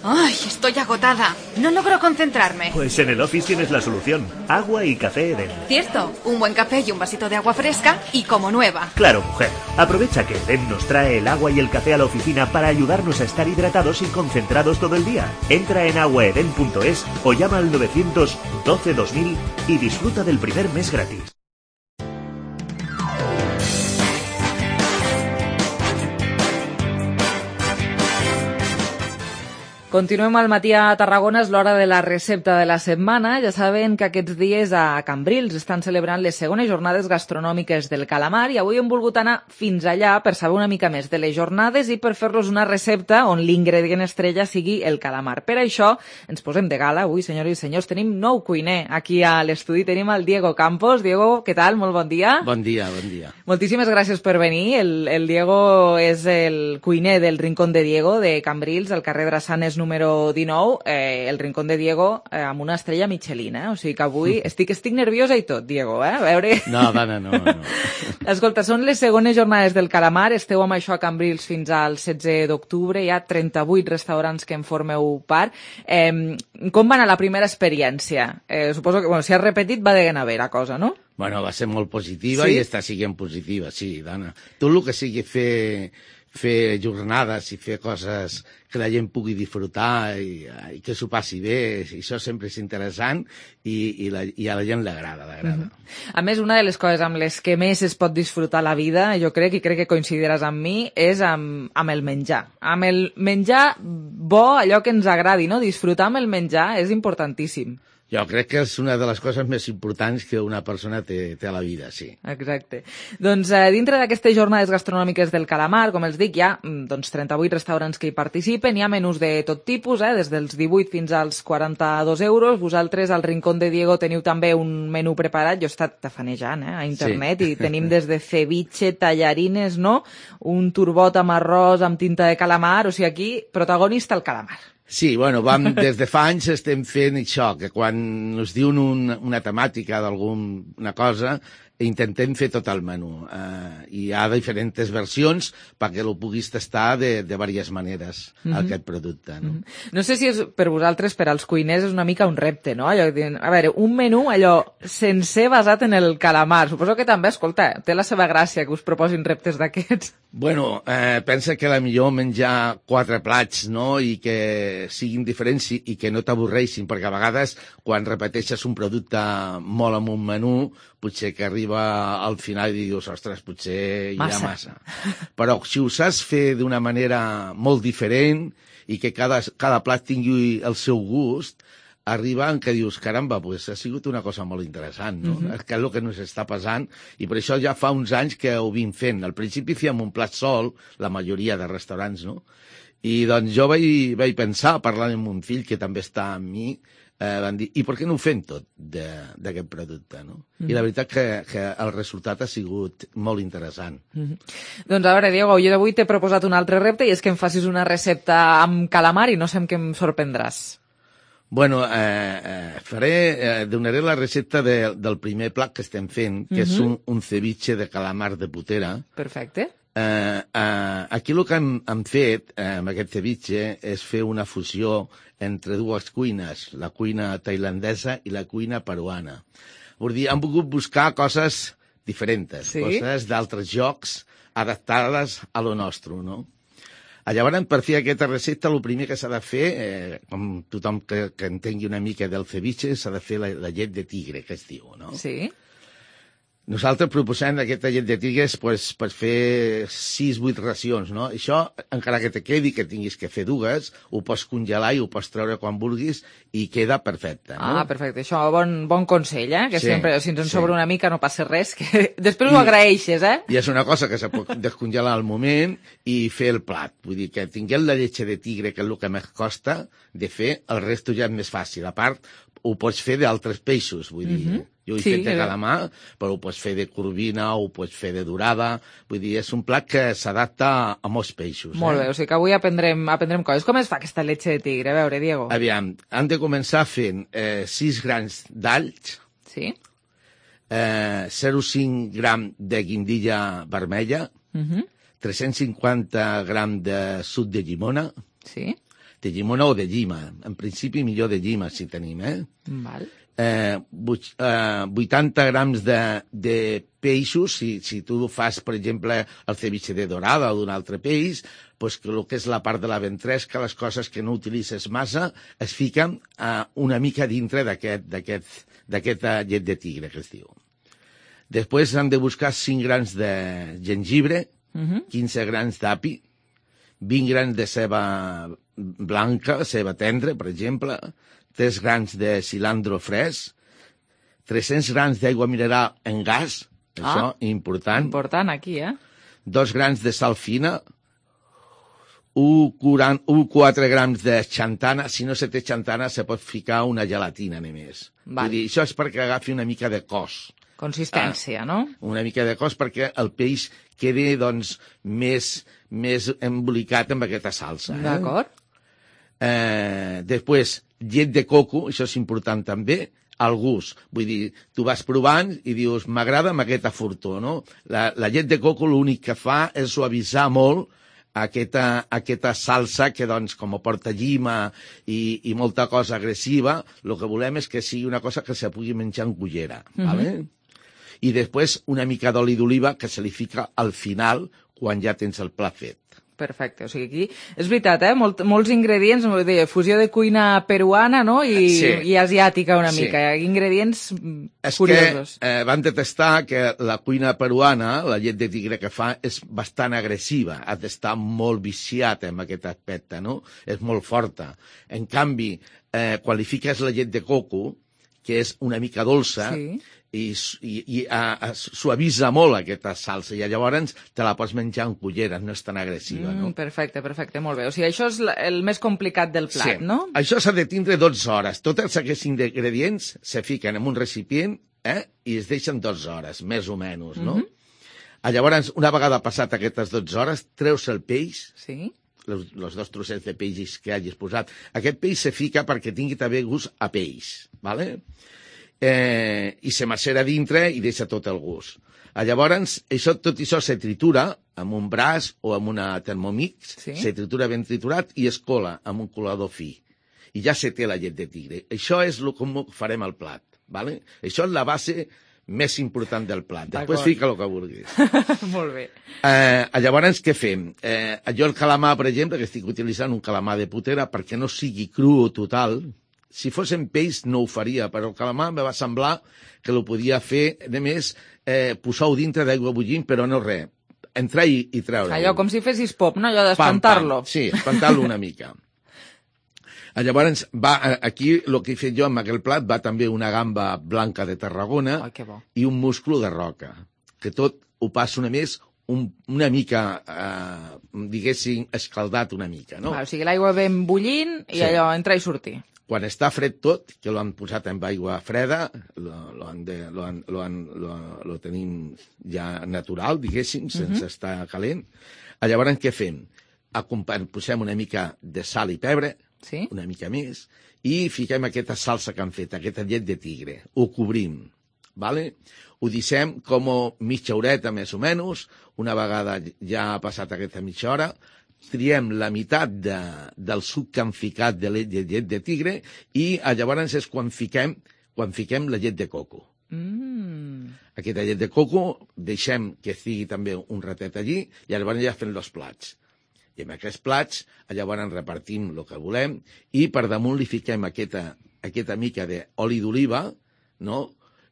¡Ay, estoy agotada! No logro concentrarme. Pues en el Office tienes la solución. Agua y café Edén. Cierto, un buen café y un vasito de agua fresca y como nueva. Claro, mujer. Aprovecha que Edén nos trae el agua y el café a la oficina para ayudarnos a estar hidratados y concentrados todo el día. Entra en aguaeden punto es o llama al novecientos doce dos mil y disfruta del primer mes gratis. Continuem al matí a Tarragona, és l'hora de la recepta de la setmana. Ja saben que aquests dies a Cambrils estan celebrant les segones jornades gastronòmiques del calamar i avui hem volgut anar fins allà per saber una mica més de les jornades i per fer-los una recepta on l'ingredient estrella sigui el calamar. Per això ens posem de gala. Avui, senyores i senyors, tenim nou cuiner aquí a l'estudi. Tenim el Diego Campos. Diego, què tal? Molt bon dia. Bon dia, bon dia. Moltíssimes gràcies per venir. El, el Diego és el cuiner del Rincón de Diego de Cambrils, al carrer Drassanes número dinou, eh, el Rincón de Diego eh, amb una estrella Michelin, eh? O sigui que avui estic, estic nerviosa i tot, Diego, eh? A veure... No, dona, no, no. Escolta, són les segones jornades del calamar, esteu amb això a Cambrils fins al setze d'octubre, hi ha trenta-vuit restaurants que en formeu part. Eh, com va anar la primera experiència? Eh, suposo que, bueno, si has repetit va de ganar bé la cosa, no? Bueno, va ser molt positiva sí? i està siguent positiva, sí, dona. Tot el que sigui fer... fer jornades i fer coses que la gent pugui disfrutar i, i que s'ho passi bé, i això sempre és interessant i, i, la, i a la gent l'agrada, l'agrada. Mm-hmm. A més, una de les coses amb les que més es pot disfrutar la vida, jo crec, i crec que coincidiràs amb mi, és amb, amb el menjar. Amb el menjar bo, allò que ens agradi, no? Disfrutar amb el menjar és importantíssim. Jo crec que és una de les coses més importants que una persona té, té a la vida, sí. Exacte. Doncs eh, dintre d'aquestes jornades gastronòmiques del calamar, com els dic, hi ha doncs, trenta-vuit restaurants que hi participen, hi ha menús de tot tipus, eh, des dels divuit fins als quaranta-dos euros. Vosaltres al Rincón de Diego teniu també un menú preparat, jo he estat tafanejant eh, a internet, sí. I tenim des de ceviche, tallarines, no? Un turbot amb arròs, amb tinta de calamar, o sigui, aquí protagonista el calamar. Sí, bueno, vam, des de fa anys estem fent això, que quan ens diuen un, una temàtica d'alguna cosa, intentem fer tot el menú. Uh, hi ha diferents versions perquè el puguis tastar de, de diverses maneres, mm -hmm. aquest producte. No? Mm -hmm. No sé si és per vosaltres, per als cuiners, és una mica un repte, no? Allò, a veure, un menú allò sencer basat en el calamar. Suposo que també, escolta, té la seva gràcia que us proposin reptes d'aquests. Bueno, eh, pensa que la millor menjar quatre plats, no?, i que siguin diferents i, i que no t'avorreixin, perquè a vegades quan repeteixes un producte molt en un menú, potser que arriba al final i dius, ostres, potser hi ha massa. Però si ho saps fer d'una manera molt diferent i que cada, cada plat tingui el seu gust, arriba en què dius, caramba, pues ha sigut una cosa molt interessant, no? Mm-hmm. Que és el que ens està passant, i per això ja fa uns anys que ho vim fent. Al principi fèiem un plat sol, la majoria de restaurants, no? I doncs jo vaig, vaig pensar, parlant amb un fill que també està amb mi, eh, van dir, i per què no ho fem tot d'aquest producte, no? Mm-hmm. I la veritat que, que el resultat ha sigut molt interessant. Mm-hmm. Doncs a veure, Diego, jo d'avui t'he proposat un altre repte i és que em facis una recepta amb calamar i no sé amb què em sorprendràs. Bueno, eh, eh, faré, eh, donaré la recepta de, del primer plat que estem fent, que mm-hmm. és un, un ceviche de calamar de putera. Perfecte. Eh, eh, aquí el que hem, hem fet eh, amb aquest ceviche és fer una fusió entre dues cuines, la cuina tailandesa i la cuina peruana. Vull dir, hem volgut buscar coses diferents, sí? Coses d'altres jocs adaptades a lo nostre, no? Llavors, per fer aquesta recepta, el primer que s'ha de fer, eh, com tothom que, que entengui una mica del ceviche, s'ha de fer la, la llet de tigre, que es diu, no? Sí. Nosaltres proposem aquesta llet de tigres pues, per fer sis vuit racions, no? Això, encara que te quedi, que tinguis que fer dues, ho pots congelar i ho pots treure quan vulguis i queda perfecte, no? Ah, perfecte. Això, bon, bon consell, eh? Que Sí, sempre, si ens en sí. sobra una mica no passa res, que després ho agraeixes, eh? I és una cosa que se pot descongelar al moment i fer el plat. Vull dir que tinguem la lletge de tigre, que és el que més costa de fer, el resto ja és més fàcil. A part, ho pots fer d'altres peixos, vull dir... Mm -hmm. Jo ho he sí, fet de calamar, però ho pots fer de corvina, ho pots fer de dorada... Vull dir, és un plat que s'adapta a molts peixos. Molt eh? bé, o sigui que avui aprendrem, aprendrem coses. Com es fa aquesta letge de tigre? A veure, Diego. Aviam, han de començar fent eh, sis grans d'alls, sí. eh, zero coma cinc gram de guindilla vermella, Uh -huh. tres-cents cinquanta gram de suc de llimona, sí. de llimona o de llima. En principi, millor de llima, si tenim, eh? Val. Eh, vuitanta grams de, de peixos, si, si tu fas, per exemple, el ceviche de dorada o d'un altre peix, pues que el que és la part de la ventresca, les coses que no utilitzes massa, es fiquen eh, una mica dintre d'aquesta llet de tigre, que es diu. Després han de buscar cinc grans de gengibre, uh -huh. quinze grans d'api, vint grans de ceba blanca, ceba tendra, per exemple, tres grans de cilantro fresc, tres-cents grams d'aigua mineral en gas, ah, això, important. Important aquí, eh? Dos grans de sal fina, un coma quatre grams de xantana. Si no se té xantana, se pot ficar una gelatina, només. Vull dir, això és perquè agafi una mica de cos. Consistència, ah, no? Una mica de cos perquè el peix quedi, doncs, més, més embolicat amb aquesta salsa. Eh? D'acord. Eh, després, llet de coco, això és important també, al gust. Vull dir, tu vas provant i dius, m'agrada amb aquesta fortó, no? La, la llet de coco l'únic que fa és suavitzar molt aquesta, aquesta salsa que, doncs, com porta llima i, i molta cosa agressiva, el que volem és que sigui una cosa que se pugui menjar en cullera, mm-hmm. ¿vale? I després una mica d'oli d'oliva que se li fica al final quan ja tens el plat fet. Perfecte, o sigui, aquí és veritat, eh? Molt, molts ingredients, de fusió de cuina peruana, no? I, sí. i asiàtica una sí. mica, ingredients és curiosos. Que eh, van detestar que la cuina peruana, la llet de tigre que fa, és bastant agressiva, ha d'estar molt viciat en aquest aspecte, no? És molt forta. En canvi, eh, quan li fiques la llet de coco, que és una mica dolça, sí. i, i, i a, a, suavitza molt aquesta salsa, i llavors te la pots menjar en culleres, no és tan agressiva, mm, no? Perfecte, perfecte, molt bé. O sigui, això és el més complicat del plat, sí. no? Això s'ha de tindre dotze hores. Tots aquests ingredients se fiquen en un recipient eh, i es deixen dotze hores, més o menys, no? Mm-hmm. Llavors, una vegada passat aquestes dotze hores, treus el peix, sí. els, els dos trossets de peix que hagis posat. Aquest peix se fica perquè tingui també gust a peix, ¿vale? Eh, i se macera dintre i deixa tot el gust. Llavors, això, tot això se tritura amb un braç o amb una Thermomix, sí. se tritura ben triturat i es cola amb un colador fi. I ja se té la llet de tigre. Això és el com farem el plat, ¿vale? Això és la base més important del plat. Després fica el que vulguis. Molt bé. Eh, llavors, què fem? Eh, jo el calamar, per exemple, que estic utilitzant un calamar de putera perquè no sigui cru total. Si fos en peix no ho faria, però el calamar em va semblar que ho podia fer, a més, eh, posar-ho dintre d'aigua bullint, però no res, entrar i, i treure-ho. Allò com si fessis pop, no? Allò d'espantar-lo. Sí, espantar-lo una mica. Llavors, va, aquí el que he fet jo amb aquell plat va també una gamba blanca de Tarragona. Ai, que bo. I un musclo de roca, que tot ho passo una més un, una mica, eh, diguéssim, escaldat una mica, no? Va, o sigui, l'aigua ben bullint i sí. allò entrar i sortir. Quan està fred tot, que l'han posat amb aigua freda, lo, lo, han de, lo, han, lo, han, lo, lo tenim ja natural, diguéssim, sense uh-huh. estar calent. Llavors, què fem? Posem una mica de sal i pebre, sí? una mica més, i fiquem aquesta salsa que han fet, aquesta llet de tigre. Ho cobrim, ¿vale? Ho deixem com mitja horeta, més o menys. Una vegada ja ha passat aquesta mitja hora, triem la meitat de, del suc que han ficat de llet, de llet de tigre i llavors és quan fiquem, quan fiquem la llet de coco. Mm. Aquesta llet de coco deixem que estigui també un ratet allí i llavors ja fem els plats. I amb aquests plats llavors repartim el que volem i per damunt li fiquem aquesta, aquesta mica d'oli d'oliva, no?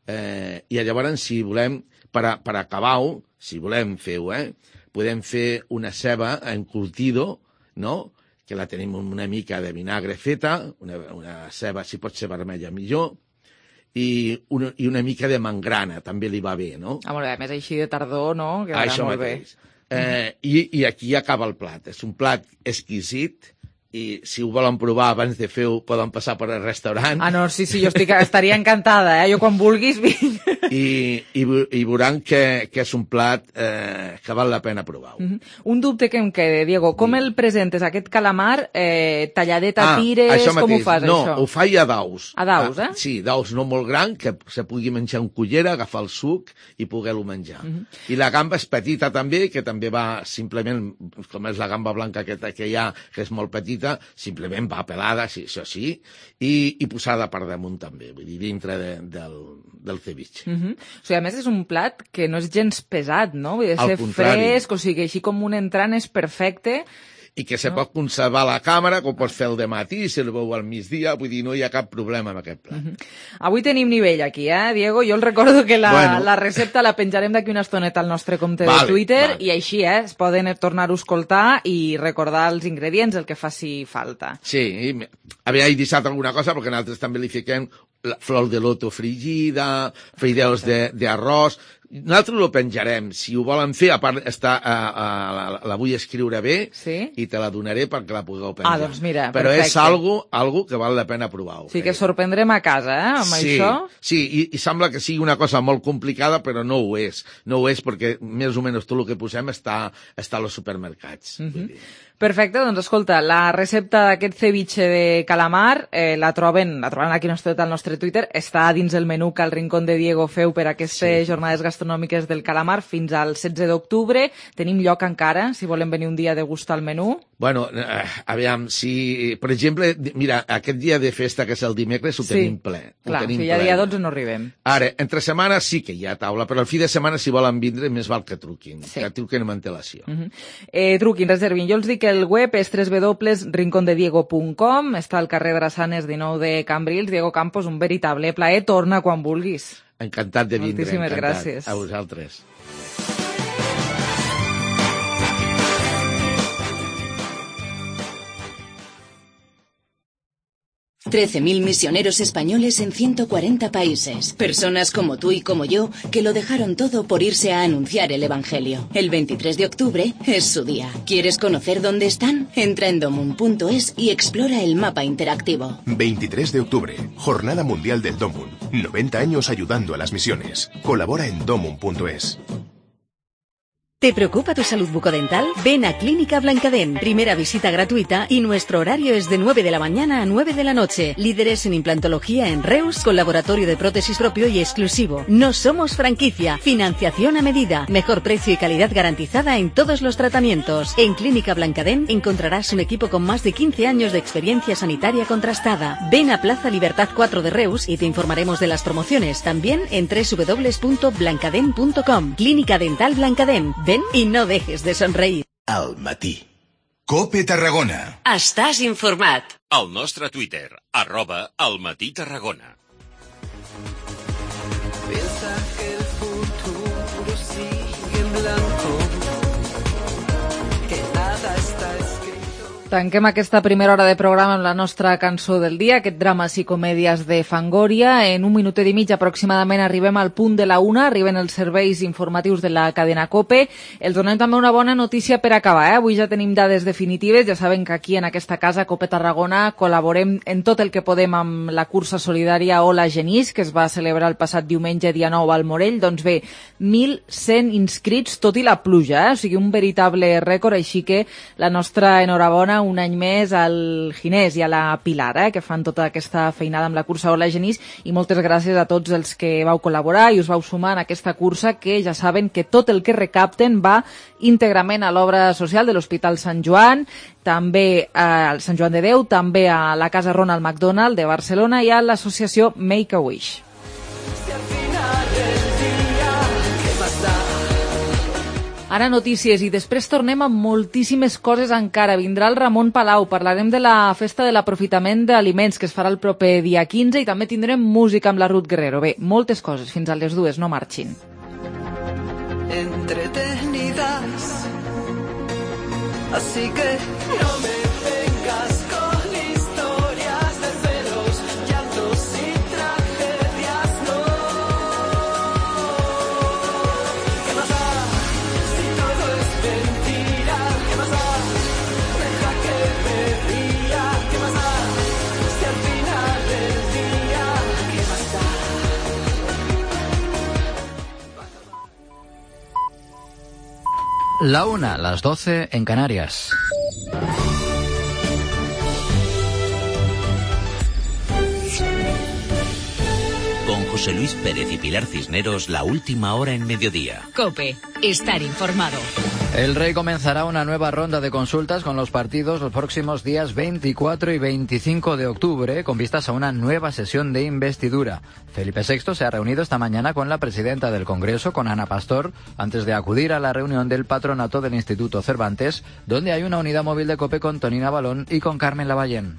Eh, i llavors si volem per, a, per acabar-ho, si volem fer-ho, eh, podem fer una ceba encurtido, no?, que la tenim amb una mica de vinagre feta, una, una ceba, si pot ser vermella, millor, i una, i una mica de mangrana, també li va bé, no? Ah, molt bé, a més així de tardor, no? Quedarà Això molt mateix. bé. Eh, i, I aquí acaba el plat. És un plat exquisit, i si ho volen provar abans de fer-ho, poden passar per al restaurant. Ah, no, sí, sí, jo estic, estaria encantada, eh? Jo quan vulguis vinc. I, i, i veuran que, que és un plat eh, que val la pena provar-ho. Uh -huh. Un dubte que em queda, Diego, com sí. el presentes, aquest calamar, eh, talladet a ah, tires, com ho fas, no, això? No, ho faig a daus. A daus, eh? Ah, sí, daus no molt gran, que se pugui menjar en cullera, agafar el suc i poder-lo menjar. Uh -huh. I la gamba és petita també, que també va simplement, com és la gamba blanca aquesta que hi ha, que és molt petita, simplement va pelada, sí, això sí, i, i posada per damunt també, vull dir, dintre de, del, del ceviche. Uh -huh. O sigui, a més és un plat que no és gens pesat, no? Vull dir, ser fresc, o sigui, així com un entrant és perfecte. I que se no? pot conservar a la càmera, com pots fer el dematí, si el veu al migdia, vull dir, no hi ha cap problema amb aquest plat. Uh -huh. Avui tenim nivell aquí, eh, Diego? Jo el recordo que la, bueno. la recepta la penjarem d'aquí una estoneta al nostre compte vale, de Twitter, vale. i així, eh, es poden tornar-ho a escoltar i recordar els ingredients, el que faci falta. Sí, havia deixat alguna cosa, perquè nosaltres també li fiquem la flor de loto fregida, fideus d'arròs. Nosaltres ho penjarem. Si ho volen fer, a part, està, a, a, la, la vull escriure bé sí? i te la donaré perquè la pugueu penjar. Ah, doncs mira, Però perfecte. és algo, algo que val la pena provar-ho. Sí, que sorprendrem a casa, eh, amb sí, això. Sí, i, i sembla que sigui una cosa molt complicada, però no ho és. No ho és perquè més o menys tot el que posem està, està als supermercats. Uh -huh. Perfecte, doncs escolta, la recepta d'aquest ceviche de calamar eh, la troben la troben aquí al nostre Twitter, està dins el menú que el Rincón de Diego feu per aquestes sí. jornades gastronòmiques del calamar fins al setze d'octubre. Tenim lloc encara, si volen venir un dia a degustar el menú? Bueno, eh, aviam, si, per exemple, mira, aquest dia de festa, que és el dimecres, ho sí. tenim ple. Clar, ho tenim si ja ple. dia dotze no arribem. Ara, entre setmana sí que hi ha taula, però al fi de setmana, si volen vindre, més val que truquin, sí. que truquin amb antelació. Uh -huh. eh, truquin, reservin. Jo els dic que el web és w w w punt rincon de diego punt com, està al carrer Drassanes dinou de Cambrils. Diego Campos, un veritable plaer, torna quan vulguis. Encantat de vindre. Moltíssimes encantat. gràcies. A vosaltres. trece mil misioneros españoles en ciento cuarenta países. Personas como tú y como yo que lo dejaron todo por irse a anunciar el Evangelio. El veintitrés de octubre es su día. ¿Quieres conocer dónde están? Entra en domum punto es y explora el mapa interactivo. veintitrés de octubre, Jornada Mundial del Domum. noventa años ayudando a las misiones. Colabora en domum punto es. ¿Te preocupa tu salud bucodental? Ven a Clínica Blancadent. Primera visita gratuita y nuestro horario es de nueve de la mañana a nueve de la noche. Líderes en implantología en Reus, con laboratorio de prótesis propio y exclusivo. No somos franquicia. Financiación a medida. Mejor precio y calidad garantizada en todos los tratamientos. En Clínica Blancadent encontrarás un equipo con más de quince años de experiencia sanitaria contrastada. Ven a Plaza Libertad cuatro de Reus y te informaremos de las promociones. También en w w w punto blancadent punto com. Clínica Dental Blancadent. Ven y no dejes de sonreír. Al matí. Cope Tarragona. Estàs informat. Al nostre Twitter, arroba al matí Tarragona. Piensa que el futuro sigue en blanco, que nada está escrito. Tanquem aquesta primera hora de programa amb la nostra cançó del dia, aquest drames i comèdies de Fangoria. En un minutet i mig aproximadament arribem al punt de la una, arriben els serveis informatius de la cadena COPE. Els donem també una bona notícia per acabar, eh? Avui ja tenim dades definitives, ja saben que aquí en aquesta casa, COPE Tarragona, col·laborem en tot el que podem amb la cursa solidària Hola Genís, que es va celebrar el passat diumenge dia nou al Morell. Doncs bé, mil cent inscrits, tot i la pluja, eh? O sigui, un veritable rècord, així que la nostra enhorabona un any més al Ginés i a la Pilar, eh, que fan tota aquesta feinada amb la cursa Hola Genís, i moltes gràcies a tots els que vau col·laborar i us vau sumar en aquesta cursa, que ja saben que tot el que recapten va íntegrament a l'obra social de l'Hospital Sant Joan, també al Sant Joan de Déu, també a la Casa Ronald McDonald de Barcelona i a l'associació Make a Wish. Ara notícies i després tornem amb moltíssimes coses encara. Vindrà el Ramon Palau, parlarem de la festa de l'aprofitament d'aliments que es farà el proper dia quinze i també tindrem música amb la Ruth Guerrero. Bé, moltes coses, fins a les dues, no marxin. entretenidas. Así que no me vengas con historias de celos, llantos y tragedias, no. ¿Qué más da si todo es mentira? ¿Qué más da? Deja que me ría. ¿Qué más da si al final del día? ¿Qué más da? La una, las doce en Canarias. Con José Luis Pérez y Pilar Cisneros, la última hora en mediodía. COPE, estar informado. El Rey comenzará una nueva ronda de consultas con los partidos los próximos días veinticuatro y veinticinco de octubre, con vistas a una nueva sesión de investidura. Felipe sexto se ha reunido esta mañana con la presidenta del Congreso, con Ana Pastor, antes de acudir a la reunión del patronato del Instituto Cervantes, donde hay una unidad móvil de COPE con Tonina Balón y con Carmen Lavallén.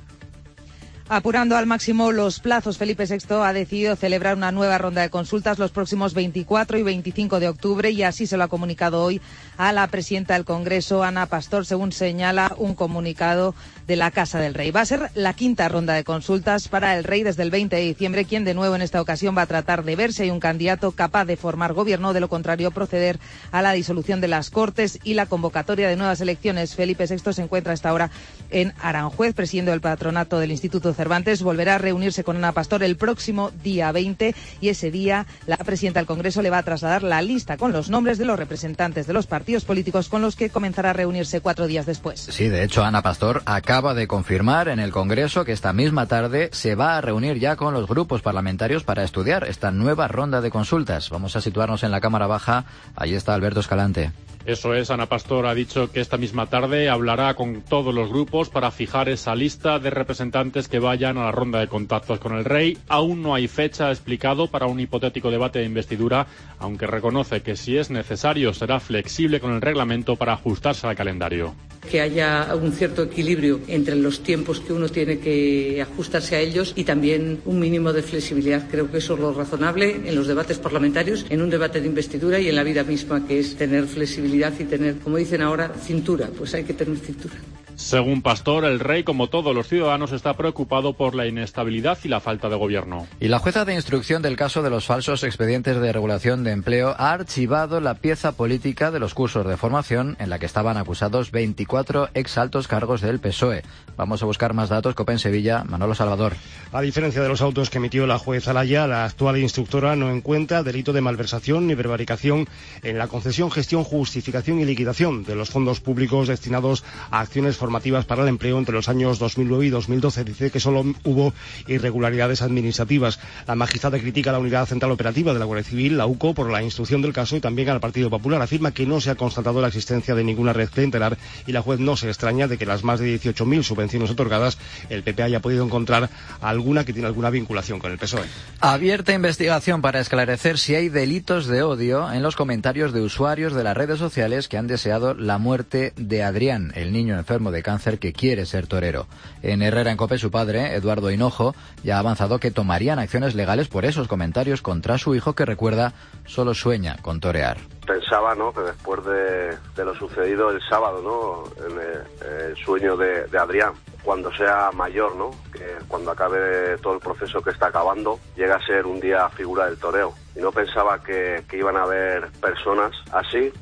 Apurando al máximo los plazos, Felipe sexto ha decidido celebrar una nueva ronda de consultas los próximos veinticuatro y veinticinco de octubre y así se lo ha comunicado hoy a la presidenta del Congreso, Ana Pastor, según señala un comunicado de la Casa del Rey. Va a ser la quinta ronda de consultas para el Rey desde el veinte de diciembre, quien de nuevo en esta ocasión va a tratar de ver si hay un candidato capaz de formar gobierno, de lo contrario proceder a la disolución de las Cortes y la convocatoria de nuevas elecciones. Felipe sexto se encuentra a esta hora en Aranjuez, presidiendo el patronato del Instituto Cervantes. Volverá a reunirse con Ana Pastor el próximo día veinte y ese día la presidenta del Congreso le va a trasladar la lista con los nombres de los representantes de los partidos políticos con los que comenzará a reunirse cuatro días después. Sí, de hecho, Ana Pastor acaba de confirmar en el Congreso que esta misma tarde se va a reunir ya con los grupos parlamentarios para estudiar esta nueva ronda de consultas. Vamos a situarnos en la Cámara Baja. Ahí está Alberto Escalante. Eso es, Ana Pastor ha dicho que esta misma tarde hablará con todos los grupos para fijar esa lista de representantes que vayan a la ronda de contactos con el Rey. Aún no hay fecha explicado para un hipotético debate de investidura, aunque reconoce que si es necesario será flexible con el reglamento para ajustarse al calendario. Que haya un cierto equilibrio entre los tiempos que uno tiene que ajustarse a ellos y también un mínimo de flexibilidad. Creo que eso es lo razonable en los debates parlamentarios, en un debate de investidura y en la vida misma, que es tener flexibilidad y tener, como dicen ahora, cintura. Pues hay que tener cintura. Según Pastor, el Rey, como todos los ciudadanos, está preocupado por la inestabilidad y la falta de gobierno. Y la jueza de instrucción del caso de los falsos expedientes de regulación de empleo ha archivado la pieza política de los cursos de formación en la que estaban acusados veinticuatro exaltos cargos del P S O E. Vamos a buscar más datos. COPE en Sevilla, Manolo Salvador. A diferencia de los autos que emitió la juez Alaya, la actual instructora no encuentra delito de malversación ni prevaricación en la concesión, gestión, justificación y liquidación de los fondos públicos destinados a acciones formativas para el empleo entre los años dos mil nueve y dos mil doce. Dice que solo hubo irregularidades administrativas. La magistrada critica a la Unidad Central Operativa de la Guardia Civil, la U C O, por la instrucción del caso y también al Partido Popular. Afirma que no se ha constatado la existencia de ninguna red clientelar y la juez no se extraña de que las más de dieciocho mil subvenciones otorgadas el P P haya podido encontrar alguna que tiene alguna vinculación con el P S O E. Abierta investigación para esclarecer si hay delitos de odio en los comentarios de usuarios de las redes sociales que han deseado la muerte de Adrián, el niño enfermo de cáncer que quiere ser torero. En Herrera en COPE, su padre, Eduardo Hinojo, ya ha avanzado que tomarían acciones legales por esos comentarios contra su hijo, que, recuerda, solo sueña con torear. Pensaba, ¿no?, que después de, de lo sucedido el sábado, ¿no?, en el, el sueño de, de Adrián, cuando sea mayor, ¿no?, que cuando acabe todo el proceso que está acabando, llega a ser un día figura del toreo. Y no pensaba que, que iban a haber personas así.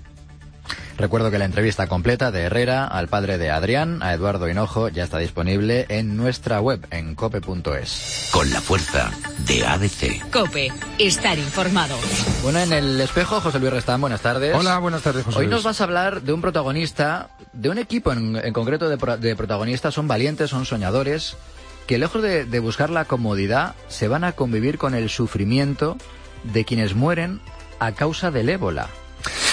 Recuerdo que la entrevista completa de Herrera al padre de Adrián, a Eduardo Hinojo, ya está disponible en nuestra web, en cope punto es. Con la fuerza de A D C. COPE, estar informado. Bueno, en el espejo, José Luis Restán, buenas tardes. Hola, buenas tardes, José Hoy Luis. nos vas a hablar de un protagonista, de un equipo en, en concreto de, pro, de protagonistas. Son valientes, son soñadores, que lejos de, de buscar la comodidad, se van a convivir con el sufrimiento de quienes mueren a causa del ébola.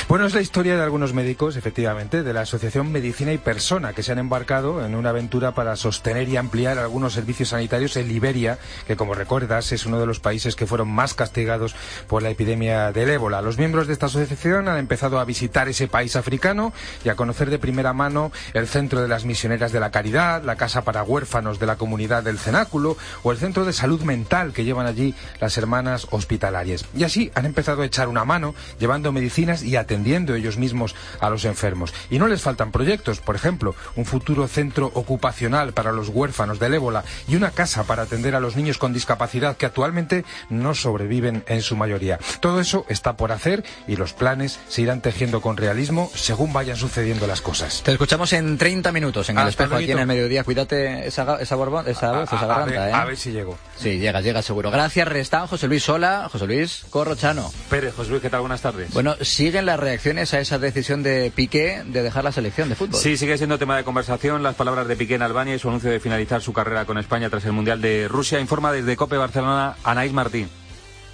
Bueno, es la historia de algunos médicos, efectivamente, de la Asociación Medicina y Persona, que se han embarcado en una aventura para sostener y ampliar algunos servicios sanitarios en Liberia, que, como recuerdas, es uno de los países que fueron más castigados por la epidemia del ébola. Los miembros de esta asociación han empezado a visitar ese país africano y a conocer de primera mano el Centro de las Misioneras de la Caridad, la Casa para Huérfanos de la Comunidad del Cenáculo o el Centro de Salud Mental que llevan allí las Hermanas Hospitalarias. Y así han empezado a echar una mano, llevando medicinas y atención atendiendo ellos mismos a los enfermos. Y no les faltan proyectos, por ejemplo, un futuro centro ocupacional para los huérfanos del ébola y una casa para atender a los niños con discapacidad que actualmente no sobreviven en su mayoría. Todo eso está por hacer y los planes se irán tejiendo con realismo según vayan sucediendo las cosas. Te escuchamos en treinta minutos en el Hasta espejo aquí luego. en el mediodía. Cuídate esa, esa, borbón, esa voz, esa a, a garganta, ver, ¿eh? a ver si llego. Sí, llegas, llegas seguro. Gracias, Restán, José Luis Sola, José Luis Corrochano. Pérez, José Luis, ¿qué tal? Buenas tardes. Bueno, ¿siguen las reacciones a esa decisión de Piqué de dejar la selección de fútbol? Sí, sigue siendo tema de conversación las palabras de Piqué en Albania y su anuncio de finalizar su carrera con España tras el Mundial de Rusia. Informa desde COPE Barcelona Anaís Martín.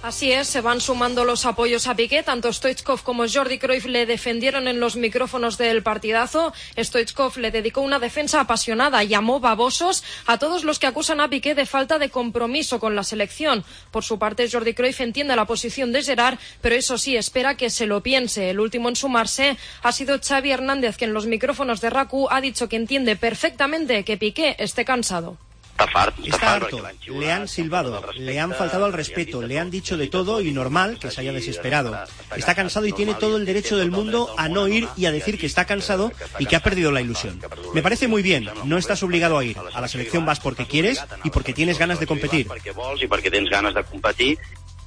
Así es, se van sumando los apoyos a Piqué. Tanto Stoichkov como Jordi Cruyff le defendieron en los micrófonos del partidazo. Stoichkov le dedicó una defensa apasionada y llamó babosos a todos los que acusan a Piqué de falta de compromiso con la selección. Por su parte, Jordi Cruyff entiende la posición de Gerard, pero eso sí, espera que se lo piense. El último en sumarse ha sido Xavi Hernández, que en los micrófonos de RACU ha dicho que entiende perfectamente que Piqué esté cansado. Está harto, le han silbado, le han faltado al respeto, le han dicho de todo y normal que se haya desesperado. Está cansado y tiene todo el derecho del mundo a no ir y a decir que está cansado y que ha perdido la ilusión. Me parece muy bien, no estás obligado a ir. A la selección vas porque quieres y porque tienes ganas de competir.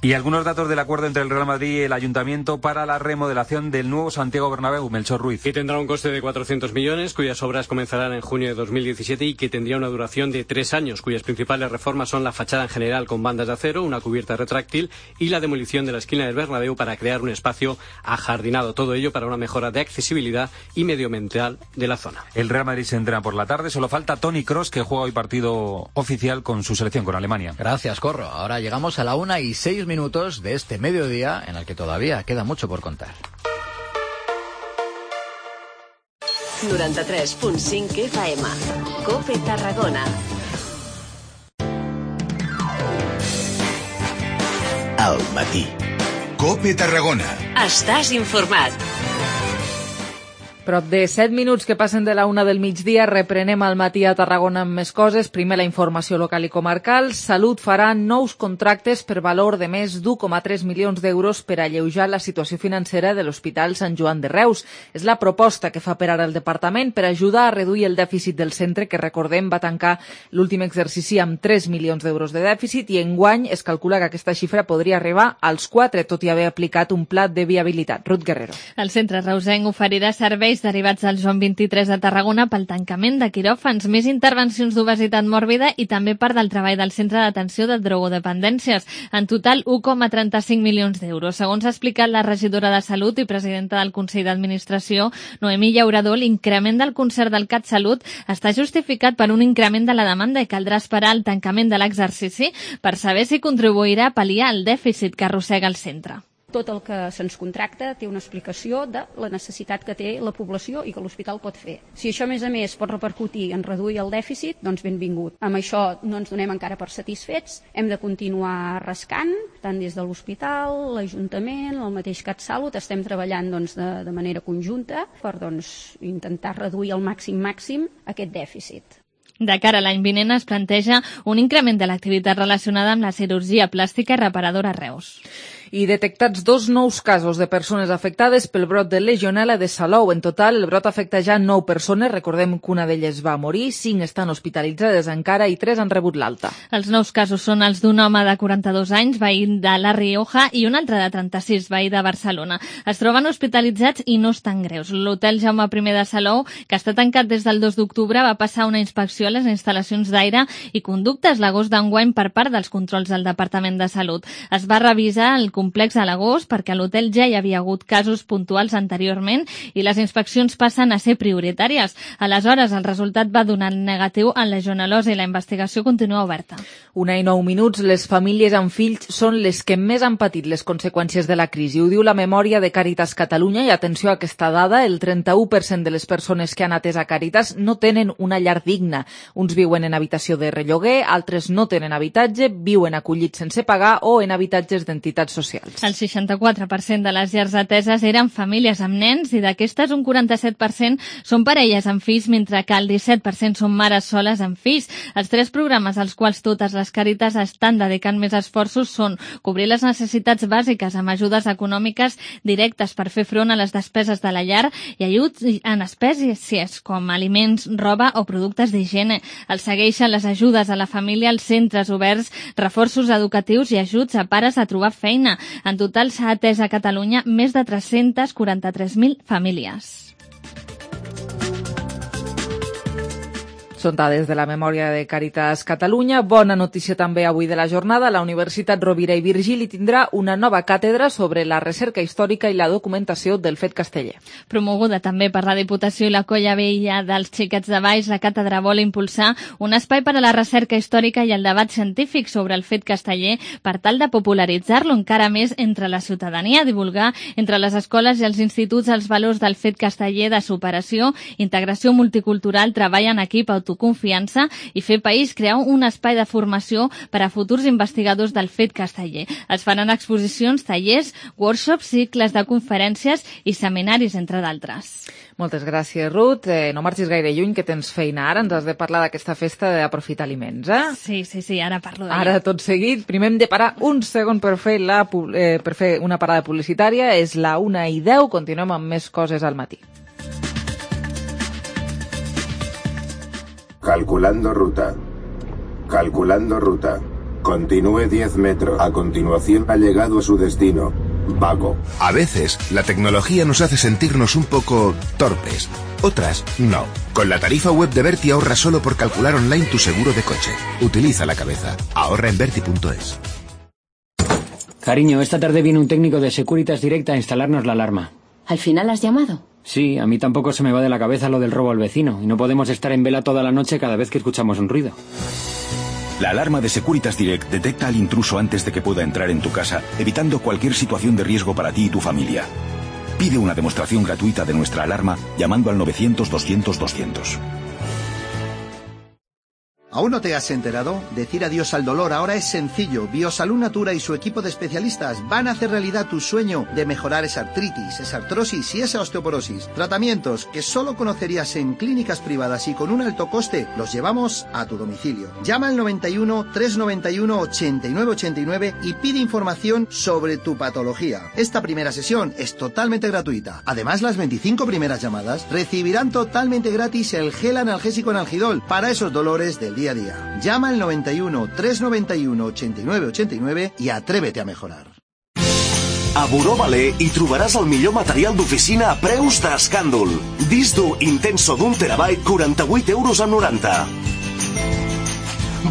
Y algunos datos del acuerdo entre el Real Madrid y el Ayuntamiento para la remodelación del nuevo Santiago Bernabéu. Melchor Ruiz. Que tendrá un coste de cuatrocientos millones, cuyas obras comenzarán en junio de dos mil diecisiete y que tendría una duración de tres años, cuyas principales reformas son la fachada en general con bandas de acero, una cubierta retráctil y la demolición de la esquina del Bernabéu para crear un espacio ajardinado. Todo ello para una mejora de accesibilidad y medioambiental de la zona. El Real Madrid se entrena por la tarde. Solo falta Toni Kroos, que juega hoy partido oficial con su selección, con Alemania. Gracias, Corro. Ahora llegamos a la una y seis minutos de este mediodía en el que todavía queda mucho por contar. noranta-tres punt cinc F M. COPE Tarragona. Al matí. COPE Tarragona. Estàs informat. Prop de set minuts que passen de la una del migdia, reprenem al matí a Tarragona amb més coses. Primer la informació local i comarcal. Salut farà nous contractes per valor de més d'un coma tres milions d'euros per alleujar la situació financera de l'Hospital Sant Joan de Reus. És la proposta que fa per ara el departament per ajudar a reduir el dèficit del centre, que recordem va tancar l'últim exercici amb tres milions d'euros de dèficit i enguany es calcula que aquesta xifra podria arribar als quatre, tot i haver aplicat un pla de viabilitat. Ruth Guerrero. El centre reusenc oferirà serveis derivats del Joan vint-i-tres de Tarragona pel tancament de quiròfans, més intervencions d'obesitat mòrbida i també part del treball del Centre d'Atenció de Drogodependències. En total, un coma trenta-cinc milions d'euros. Segons ha explicat la regidora de Salut i presidenta del Consell d'Administració, Noemí Llaurador, l'increment del concert del CatSalut està justificat per un increment de la demanda i caldrà esperar el tancament de l'exercici per saber si contribuirà a pal·liar el dèficit que arrossega el centre. Tot el que se'ns contracta té una explicació de la necessitat que té la població i que l'hospital pot fer. Si això, a més a més, pot repercutir en reduir el dèficit, doncs benvingut. Amb això no ens donem encara per satisfets, hem de continuar rascant, tant des de l'hospital, l'Ajuntament, el mateix CatSalut, estem treballant doncs, de, de manera conjunta per doncs, intentar reduir al màxim màxim aquest dèficit. De cara a l'any vinent es planteja un increment de l'activitat relacionada amb la cirurgia plàstica i reparadora a Reus. I detectats dos nous casos de persones afectades pel brot de legionel·la de Salou. En total, el brot afecta ja nou persones. Recordem que una d'elles va morir, cinc estan hospitalitzades encara i tres han rebut l'alta. Els nous casos són els d'un home de quaranta-dos anys, veí de La Rioja, i un altre de trenta-sis, veí de Barcelona. Es troben hospitalitzats i no estan greus. L'hotel Jaume I de Salou, que està tancat des del dos d'octubre, va passar una inspecció a les instal·lacions d'aire i conductes l'agost d'enguany per part dels controls del Departament de Salut. Es va revisar el complex a l'agost perquè a l'hotel ja hi havia hagut casos puntuals anteriorment i les inspeccions passen a ser prioritàries. Aleshores, el resultat va donar negatiu en legionel·losa i la investigació continua oberta. Una i nou minuts, les famílies amb fills són les que més han patit les conseqüències de la crisi. Ho diu la memòria de Càritas Catalunya i atenció a aquesta dada, el trenta-u per cent de les persones que han atès a Càritas no tenen una llar digna. Uns viuen en habitació de relloguer, altres no tenen habitatge, viuen acollits sense pagar o en habitatges d'entitats socials socials. El seixanta-quatre per cent de les llars ateses eren famílies amb nens i d'aquestes un quaranta-set per cent són parelles amb fills, mentre que el disset per cent són mares soles amb fills. Els tres programes als quals totes les Càritas estan dedicant més esforços són cobrir les necessitats bàsiques amb ajudes econòmiques directes per fer front a les despeses de la llar i ajuts en espècies com aliments, roba o productes d'higiene. Els segueixen les ajudes a la família, els centres oberts, reforços educatius i ajuts a pares a trobar feina. En total s'ha atès a Catalunya més de tres-cents quaranta-tres mil famílies. Són dades de la memòria de Càritas Catalunya. Bona notícia també avui de la jornada. La Universitat Rovira i Virgili tindrà una nova càtedra sobre la recerca històrica i la documentació del fet casteller. Promoguda també per la Diputació i la Colla Vella dels Xiquets de Valls, la càtedra vol impulsar un espai per a la recerca històrica i el debat científic sobre el fet casteller per tal de popularitzar-lo encara més entre la ciutadania, divulgar entre les escoles i els instituts els valors del fet casteller de superació, integració multicultural, treball en equip, autoconfiança i fer país, crear un espai de formació per a futurs investigadors del fet casteller. Es faran exposicions, tallers, workshops, cicles de conferències i seminaris, entre d'altres. Moltes gràcies, Ruth. Eh, no marxis gaire lluny, que tens feina ara. Ens has de parlar d'aquesta festa d'aprofitar aliments, eh? Sí, sí, sí, ara parlo d'ella. Ara, tot seguit, primer hem de parar un segon per fer, la, eh, per fer una parada publicitària. És la una i deu, continuem amb més coses al matí. Calculando ruta. Calculando ruta. Continúe diez metros. A continuación ha llegado a su destino. Vago. A veces, la tecnología nos hace sentirnos un poco torpes. Otras, no. Con la tarifa web de Berti ahorra solo por calcular online tu seguro de coche. Utiliza la cabeza. Ahorra en Berti punto es. Cariño, esta tarde viene un técnico de Securitas Direct a instalarnos la alarma. ¿Al final has llamado? Sí, a mí tampoco se me va de la cabeza lo del robo al vecino y no podemos estar en vela toda la noche cada vez que escuchamos un ruido. La alarma de Securitas Direct detecta al intruso antes de que pueda entrar en tu casa, evitando cualquier situación de riesgo para ti y tu familia. Pide una demostración gratuita de nuestra alarma llamando al novecientos doscientos doscientos. ¿Aún no te has enterado? Decir adiós al dolor ahora es sencillo. Biosalud Natura y su equipo de especialistas van a hacer realidad tu sueño de mejorar esa artritis, esa artrosis y esa osteoporosis. Tratamientos que solo conocerías en clínicas privadas y con un alto coste, los llevamos a tu domicilio. Llama al noventa y uno, trescientos noventa y uno, ochenta y nueve ochenta y nueve y pide información sobre tu patología. Esta primera sesión es totalmente gratuita. Además, las veinticinco primeras llamadas recibirán totalmente gratis el gel analgésico Analgidol para esos dolores del día a día. Llama al noventa y uno, trescientos noventa y uno, ochenta y nueve ochenta y nueve y atrévete a mejorar. A Buró Valer hi trobaràs el millor material d'oficina a preus d'escàndol. Disc dur Intenso d'un terabyte, quaranta-vuit euros amb noranta.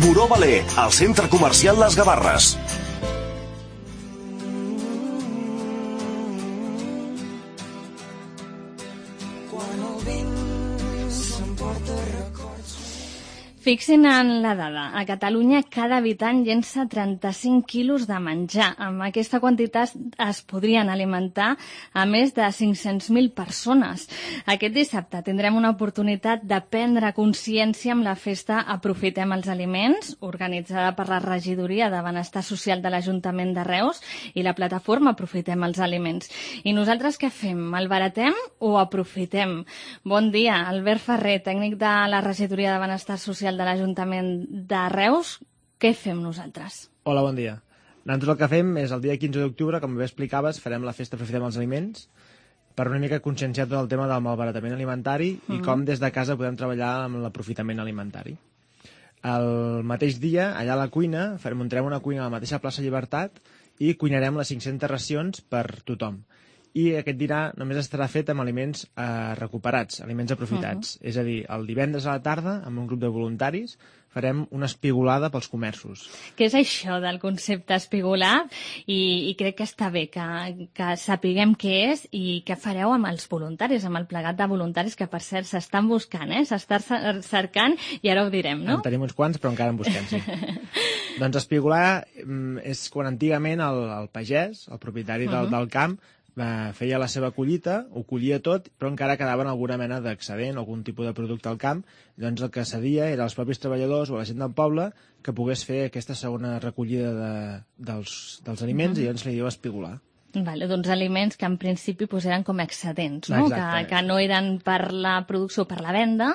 Buró Valer, al centre comercial Les Gavarres. Fixin en la dada. A Catalunya cada habitant llença trenta-cinc quilos de menjar. Amb aquesta quantitat es podrien alimentar a més de cinc-cents mil persones. Aquest dissabte tindrem una oportunitat de prendre consciència amb la festa Aprofitem els aliments, organitzada per la Regidoria de Benestar Social de l'Ajuntament de Reus i la plataforma Aprofitem els aliments. I nosaltres què fem? Malbaratem o aprofitem? Bon dia, Albert Ferrer, tècnic de la Regidoria de Benestar Social de l'Ajuntament de Reus. Què fem nosaltres? Hola, bon dia. Nosaltres el que fem és el dia quinze d'octubre, com bé explicaves, farem la festa Aprofitem els aliments per una mica conscienciar tot el tema del malbaratament alimentari i Mhm. com des de casa podem treballar amb l'aprofitament alimentari. El mateix dia, allà a la cuina, farem, muntarem una cuina a la mateixa plaça Llibertat i cuinarem les cinc-centes racions per tothom. I aquest dinar només estarà fet amb aliments eh, recuperats, aliments aprofitats. Uh -huh. És a dir, el divendres a la tarda, amb un grup de voluntaris, farem una espigolada pels comerços. Què és això del concepte espigolar? I, i crec que està bé que, que sapiguem què és i què fareu amb els voluntaris, amb el plegat de voluntaris que, per cert, s'estan buscant, eh? S'estan cercant i ara ho direm, no? En tenim uns quants, però encara en busquem, sí. Doncs espigolar és quan antigament el, el pagès, el propietari del, Uh-huh. del camp, va, feia la seva collita, ho collia tot, però encara quedava alguna mena d'excedent o algun tipus de producte al camp. Llavors el que cedia era als propis treballadors o a la gent del poble que pogués fer aquesta segona recollida de, dels, dels aliments uh-huh. i llavors li diu espigolar. Vale, doncs aliments que en principi pues, eren com excedents, no? Que, que no eren per la producció o per la venda,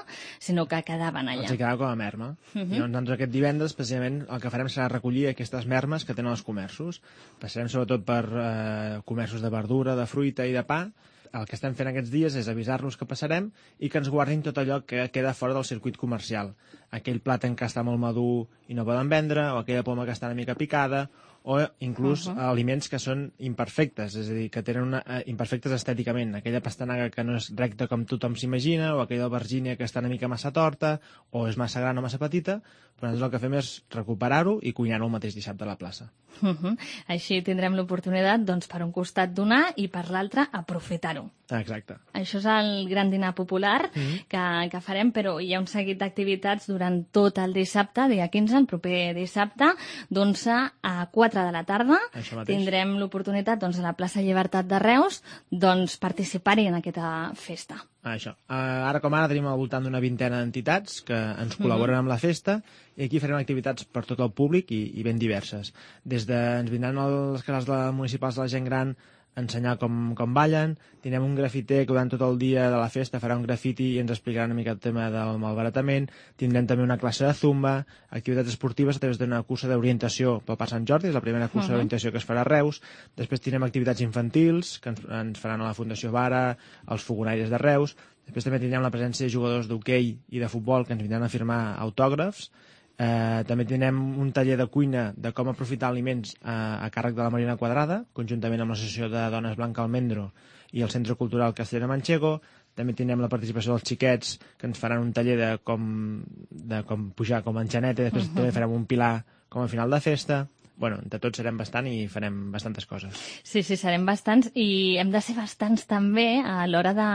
sinó que quedaven allà. Els quedava com a merma. Uh-huh. I doncs aquest divendres, precisament, el que farem serà recollir aquestes mermes que tenen els comerços. Passarem sobretot per eh, comerços de verdura, de fruita i de pa. El que estem fent aquests dies és avisar-los que passarem i que ens guardin tot allò que queda fora del circuit comercial. Aquell plàtan que està molt madur i no poden vendre, o aquella poma que està una mica picada, o inclús uh-huh. aliments que són imperfectes, és a dir, que tenen una, uh, imperfectes estèticament. Aquella pastanaga que no és recta com tothom s'imagina, o aquella albergínia que està una mica massa torta, o és massa gran o massa petita, però nosaltres el que fem és recuperar-ho i cuinar-ho el mateix dissabte a la plaça. Uh-huh. Així tindrem l'oportunitat, doncs, per un costat donar i per l'altre aprofitar-ho. Exacte. Això és el gran dinar popular uh-huh. que, que farem, però hi ha un seguit d'activitats durant tot el dissabte, dia quinze, el proper dissabte, d'onze a quatre de la tarda. Tindrem l'oportunitat, doncs, a la plaça Llibertat de Reus, doncs, participar-hi en aquesta festa. Això. Uh, ara com ara tenim al voltant d'una vintena d'entitats que ens col·laboren amb la festa i aquí farem activitats per tot el públic i, i ben diverses. Des de, ens vindran les casals de municipals de la gent gran a ensenyar com, com ballen, tindrem un grafiter que durant tot el dia de la festa farà un grafiti i ens explicarà una mica el tema del malbaratament, tindrem també una classe de zumba, activitats esportives a través d'una cursa d'orientació pel Parc Sant Jordi, és la primera cursa uh-huh. d'orientació que es farà a Reus, després tindrem activitats infantils que ens, ens faran a la Fundació Vara, els Fogonaires de Reus, després també tindrem la presència de jugadors d'hoquei i de futbol que ens vindran a firmar autògrafs. Eh, també tindrem un taller de cuina de com aprofitar aliments eh, a càrrec de la Marina Quadrada, conjuntament amb l'Associació de Dones Blanca Almendro i el Centre Cultural Castellera Manchego. També tindrem la participació dels xiquets, que ens faran un taller de com, de com pujar com a enxaneta, i després uh-huh. també farem un pilar com a final de festa. Bueno, entre tots serem bastant i farem bastantes coses. Sí, sí, serem bastants i hem de ser bastants també a l'hora de,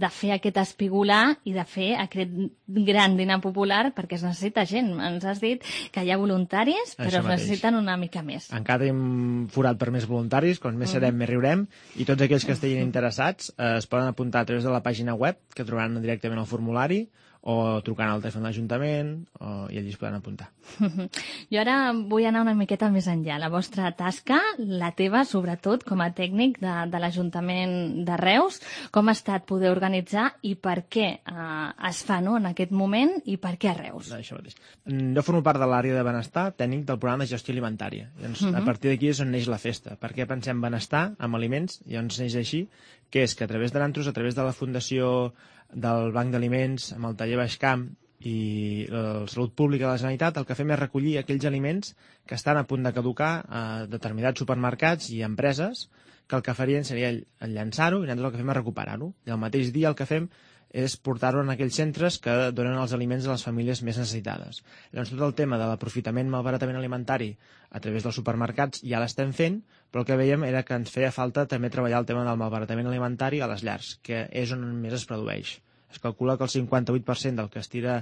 de fer aquest espigolar i de fer aquest gran dinar popular perquè es necessita gent. Ens has dit que hi ha voluntaris, però es necessiten una mica més. Encara tenim forat per més voluntaris, com més serem, mm. més riurem, i tots aquells que estiguin interessats eh, es poden apuntar a través de la pàgina web, que trobaran directament el formulari, o trucant al telèfon de l'Ajuntament, o... i allí es poden apuntar. Jo ara vull anar una miqueta més enllà. La vostra tasca, la teva, sobretot, com a tècnic de, de l'Ajuntament de Reus, com ha estat poder organitzar i per què eh, es fa no, en aquest moment i per què a Reus? Això mateix. Jo formo part de l'àrea de benestar tècnic del programa de gestió alimentària. Llavors, uh-huh. a partir d'aquí és on neix la festa. Per què pensem benestar amb aliments? Llavors neix així, que és que a través de l'Antros, a través de la Fundació del Banc d'Aliments, amb el taller Baixcamp i la Salut Pública de la Generalitat, el que fem és recollir aquells aliments que estan a punt de caducar a determinats supermercats i empreses, que el que farien seria llançar-ho i nosaltres el que fem és recuperar-ho. I el mateix dia el que fem és portar-ho en aquells centres que donen els aliments a les famílies més necessitades. Llavors, tot el tema de l'aprofitament, malbaratament alimentari a través dels supermercats ja l'estem fent, però el que veiem era que ens feia falta també treballar el tema del malbaratament alimentari a les llars, que és on més es produeix. Es calcula que el cinquanta-vuit per cent del que es tira,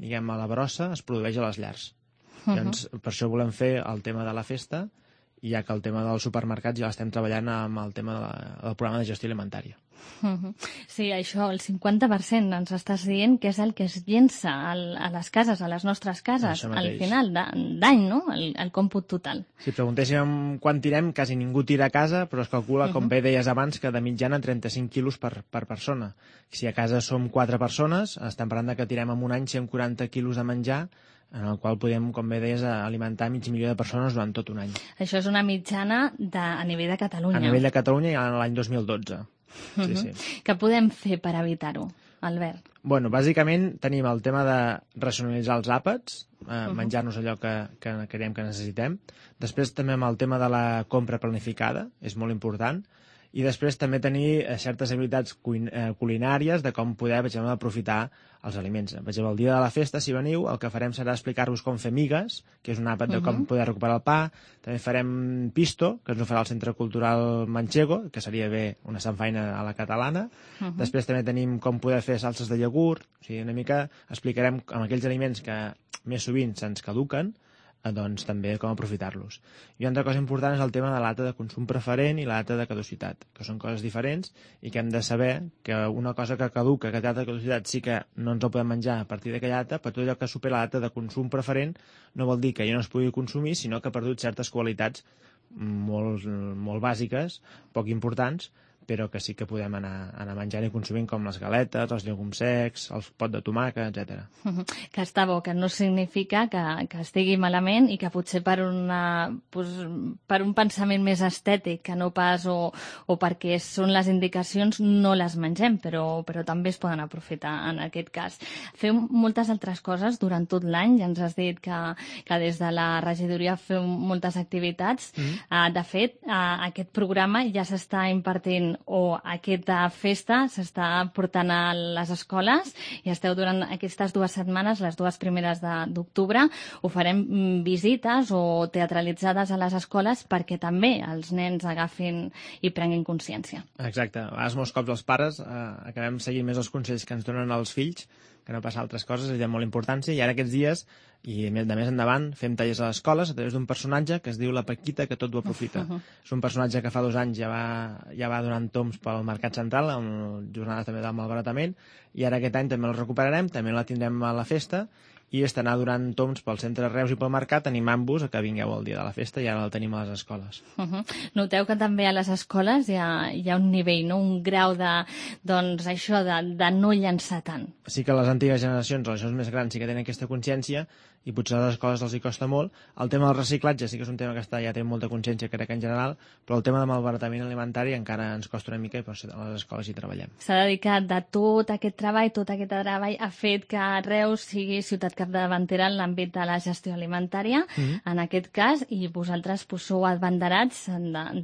diguem, a la brossa es produeix a les llars. Uh-huh. Llavors, per això volem fer el tema de la festa, ja que el tema dels supermercats ja l'estem treballant amb el tema de la, del programa de gestió alimentària. Uh-huh. Sí, això, el cinquanta per cent ens estàs dient que és el que es llença al, a les cases, a les nostres cases, al final d'any, no? El, el còmput total. Si preguntéssim quan tirem, quasi ningú tira a casa, però es calcula, com uh-huh. bé deies abans, que de mitjana trenta-cinc quilos per, per persona. Si a casa som quatre persones, estem parlant de que tirem en un any cent quaranta quilos de menjar, en el qual podem, com bé deies, alimentar mig milió de persones durant tot un any. Això és una mitjana de, a nivell de Catalunya. A nivell de Catalunya i l'any dos mil dotze. Sí, uh-huh. sí. Què podem fer per evitar-ho, Albert? Bueno, bàsicament tenim el tema de racionalitzar els àpats, eh, uh-huh. menjar-nos allò que, que creiem que necessitem. Després també amb el tema de la compra planificada, és molt important. I després també tenir certes habilitats culinàries de com poder, per exemple, aprofitar els aliments. Per exemple, el dia de la festa, si veniu, el que farem serà explicar-vos com fer migues, que és un àpat de com poder recuperar el pa. També farem pisto, que ens ho farà el Centre Cultural Manchego, que seria bé una sanfaina a la catalana. Uh-huh. Després també tenim com poder fer salses de iogurt. O sigui, una mica explicarem amb aquells aliments que més sovint se'ns caduquen, doncs també com aprofitar-los. I una altra cosa important és el tema de la data de consum preferent i la data de caducitat, que són coses diferents i que hem de saber que una cosa que caduca, que té data de caducitat, sí que no ens el podem menjar a partir d'aquella data, però tot allò que supera la data de consum preferent no vol dir que ja no es pugui consumir, sinó que ha perdut certes qualitats molt, molt bàsiques, poc importants, però que sí que podem anar, anar menjant i consumint, com les galetes, els llegums secs, el pot de tomàquet, etcètera. Que està bo, que no significa que, que estigui malament i que potser per, una, pues, per un pensament més estètic, que no pas, o, o perquè són les indicacions, no les mengem, però, però també es poden aprofitar en aquest cas. Feu moltes altres coses durant tot l'any, ja ens has dit que, que des de la regidoria feu moltes activitats. Mm. Uh, de fet, uh, aquest programa ja s'està impartint, o aquesta festa s'està portant a les escoles i esteu durant aquestes dues setmanes, les dues primeres d'octubre, ho farem visites o teatralitzades a les escoles perquè també els nens agafin i prenguin consciència. Exacte. A vegades molts cops els pares eh, acabem seguint més els consells que ens donen els fills, que no passa altres coses, és de molt importància, i ara aquests dies, i de més endavant, fem tallers a les escoles a través d'un personatge que es diu la Paquita, que tot ho aprofita. Uh -huh. És un personatge que fa dos anys ja va, ja va donant toms pel Mercat Central, amb jornades també del malbaratament, i ara aquest any també el recuperarem, també la tindrem a la festa, i estarà durant toms pel centre de Reus i pel mercat animant-vos a que vingueu el dia de la festa, i ara el tenim a les escoles. Uh -huh. Noteu que també a les escoles hi ha, hi ha un nivell, no? Un grau de, doncs, això de, de no llançar tant. Sí que les antigues generacions, els més grans, sí que tenen aquesta consciència, i potser a les escoles els hi costa molt. El tema del reciclatge sí que és un tema que està, ja té molta consciència, crec que en general, però el tema del malbaratament alimentari encara ens costa una mica, i per això a les escoles hi treballem. S'ha dedicat de tot aquest treball, tot aquest treball ha fet que Reus sigui ciutat capdavantera en l'àmbit de la gestió alimentària, mm-hmm. en aquest cas, i vosaltres pues, sou abanderats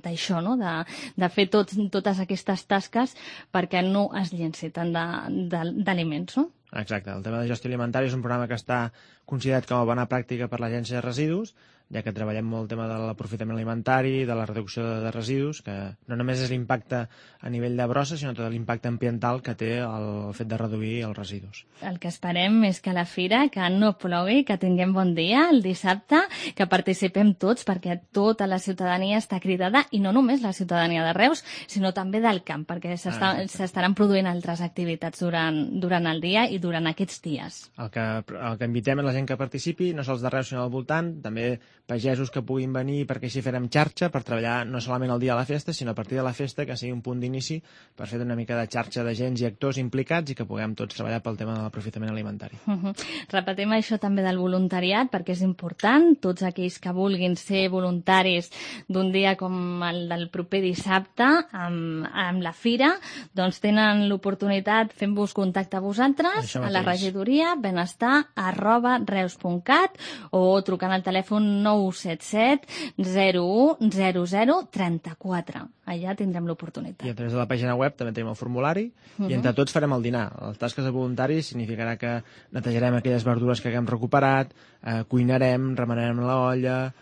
d'això, no? de, de fer tot, totes aquestes tasques perquè no es llenci tant d'aliments, no? Exacte. El tema de gestió alimentària és un programa que està considerat com a bona pràctica per l'Agència de Residus, ja que treballem molt el tema de l'aprofitament alimentari, de la reducció de residus, que no només és l'impacte a nivell de brossa, sinó tot l'impacte ambiental que té el fet de reduir els residus. El que esperem és que a la fira, que no plogui, que tinguem bon dia el dissabte, que participem tots, perquè tota la ciutadania està cridada, i no només la ciutadania de Reus, sinó també del camp, perquè s'estaran ah, produint altres activitats durant, durant el dia i durant aquests dies. El que, el que invitem és la gent que participi, no sols de Reus sinó al voltant, també pagesos que puguin venir, perquè així farem xarxa per treballar no solament el dia de la festa, sinó a partir de la festa, que sigui un punt d'inici per fer una mica de xarxa d'agents i actors implicats i que puguem tots treballar pel tema de l'aprofitament alimentari. Uh -huh. Repetim això també del voluntariat, perquè és important. Tots aquells que vulguin ser voluntaris d'un dia com el del proper dissabte amb, amb la fira, doncs tenen l'oportunitat fent-vos contacte a vosaltres, a la regidoria, benestar arroba reus punt cat, o trucant al telèfon nou set set zero u zero zero tres quatre. Allà tindrem l'oportunitat. I a través de la pàgina web també tenim el formulari, uh -huh. i entre tots farem el dinar. Les tasques de voluntaris significarà que netejarem aquelles verdures que haguem recuperat, eh, cuinarem, remenarem la olla,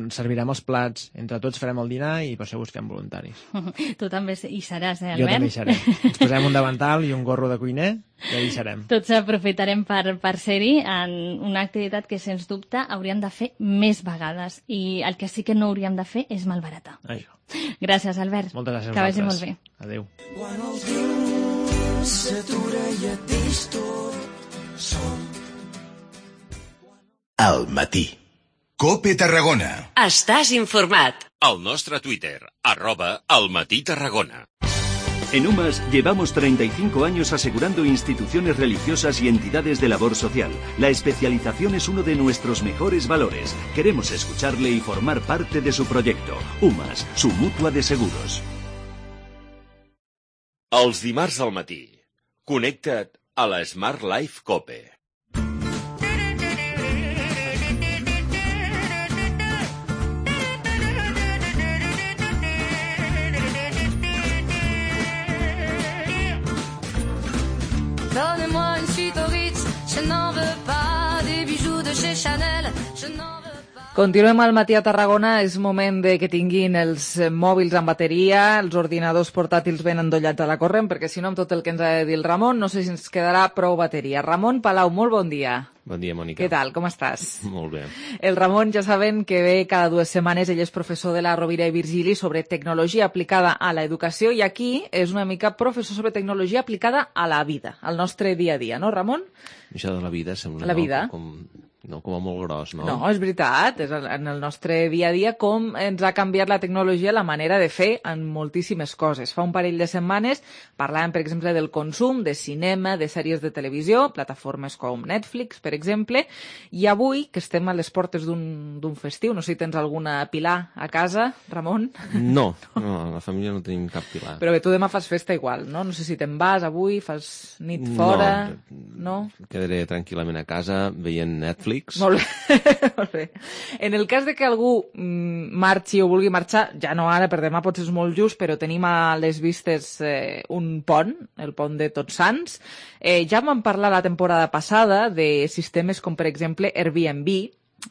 servirem els plats, entre tots farem el dinar, i per això busquem voluntaris. Uh -huh. Tu també hi seràs, eh, Albert? Jo també hi seré. Ens posem un davantal i un gorro de cuiner, i allà hi serem. Tots aprofitarem per, per ser-hi en una activitat que, sens dubte, hauríem de fer més vegades, i el que sí que no hauríem de fer és malbaratar. Això. Gràcies, Albert. Moltes gràcies a que vagi molt bé. Adéu. Quan el temps s'atura i et deix tot sol. Al matí. COPE Tarragona. Estàs informat. Al nostre Twitter, arroba Al Matí Tarragona. En UMAS llevamos treinta y cinco años asegurando instituciones religiosas y entidades de labor social. La especialización es uno de nuestros mejores valores. Queremos escucharle y formar parte de su proyecto. UMAS, su mutua de seguros. Els dimarts al matí, connecta't a la Smart Life COPE. Donnez-moi une suite au Ritz, je n'en veux pas des bijoux de chez Chanel, je n'en veux pas. Continuem al matí a Tarragona. És moment de que tinguin els mòbils amb bateria, els ordinadors portàtils ben endollats a la corrent, perquè si no, amb tot el que ens ha de dir el Ramon, no sé si ens quedarà prou bateria. Ramon Palau, molt bon dia. Bon dia, Mònica. Què tal, com estàs? Molt bé. El Ramon ja saben que ve cada dues setmanes, ell és professor de la Rovira i Virgili sobre tecnologia aplicada a l'educació i aquí és una mica professor sobre tecnologia aplicada a la vida, al nostre dia a dia, no, Ramon? Això de la vida sembla La vida. No, com, no, com a molt gros, no? No, és veritat, és en el nostre dia a dia com ens ha canviat la tecnologia la manera de fer en moltíssimes coses. Fa un parell de setmanes parlàvem, per exemple, del consum de cinema, de sèries de televisió, plataformes com Netflix, per exemple, i avui, que estem a les portes d'un festiu, no sé si tens alguna pilar a casa, Ramon? No, no, a la família no tenim cap pilar. Però bé, tu demà fas festa igual, no? No sé si te'n vas avui, fas nit fora, no? No, quedaré tranquil·lament a casa veient Netflix. Molt bé, molt bé. En el cas de que algú mm, marxi o vulgui marxar, ja no ara, per demà potser és molt just, però tenim a les vistes eh, un pont, el pont de Tots Sants. Eh, ja vam parlar la temporada passada de sistemes com, per exemple, Airbnb,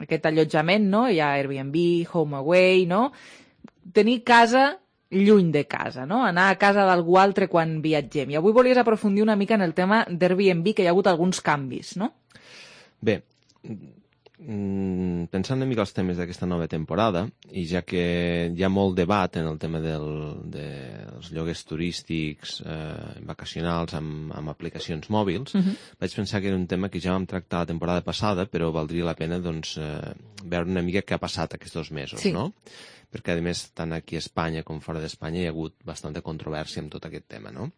aquest allotjament, no? Hi ha Airbnb, HomeAway, no? Tenir casa lluny de casa, no? Anar a casa d'algú altre quan viatgem. I avui volies aprofundir una mica en el tema d'Airbnb, que hi ha hagut alguns canvis, no? Bé, pensant una mica els temes d'aquesta nova temporada, i ja que hi ha molt debat en el tema del, dels lloguers turístics eh, vacacionals amb, amb aplicacions mòbils, uh-huh. vaig pensar que era un tema que ja vam tractar la temporada passada, però valdria la pena doncs, eh, veure una mica què ha passat aquests dos mesos, sí. no? Perquè, a més, tant aquí a Espanya com fora d'Espanya hi ha hagut bastanta controvèrsia amb tot aquest tema, no?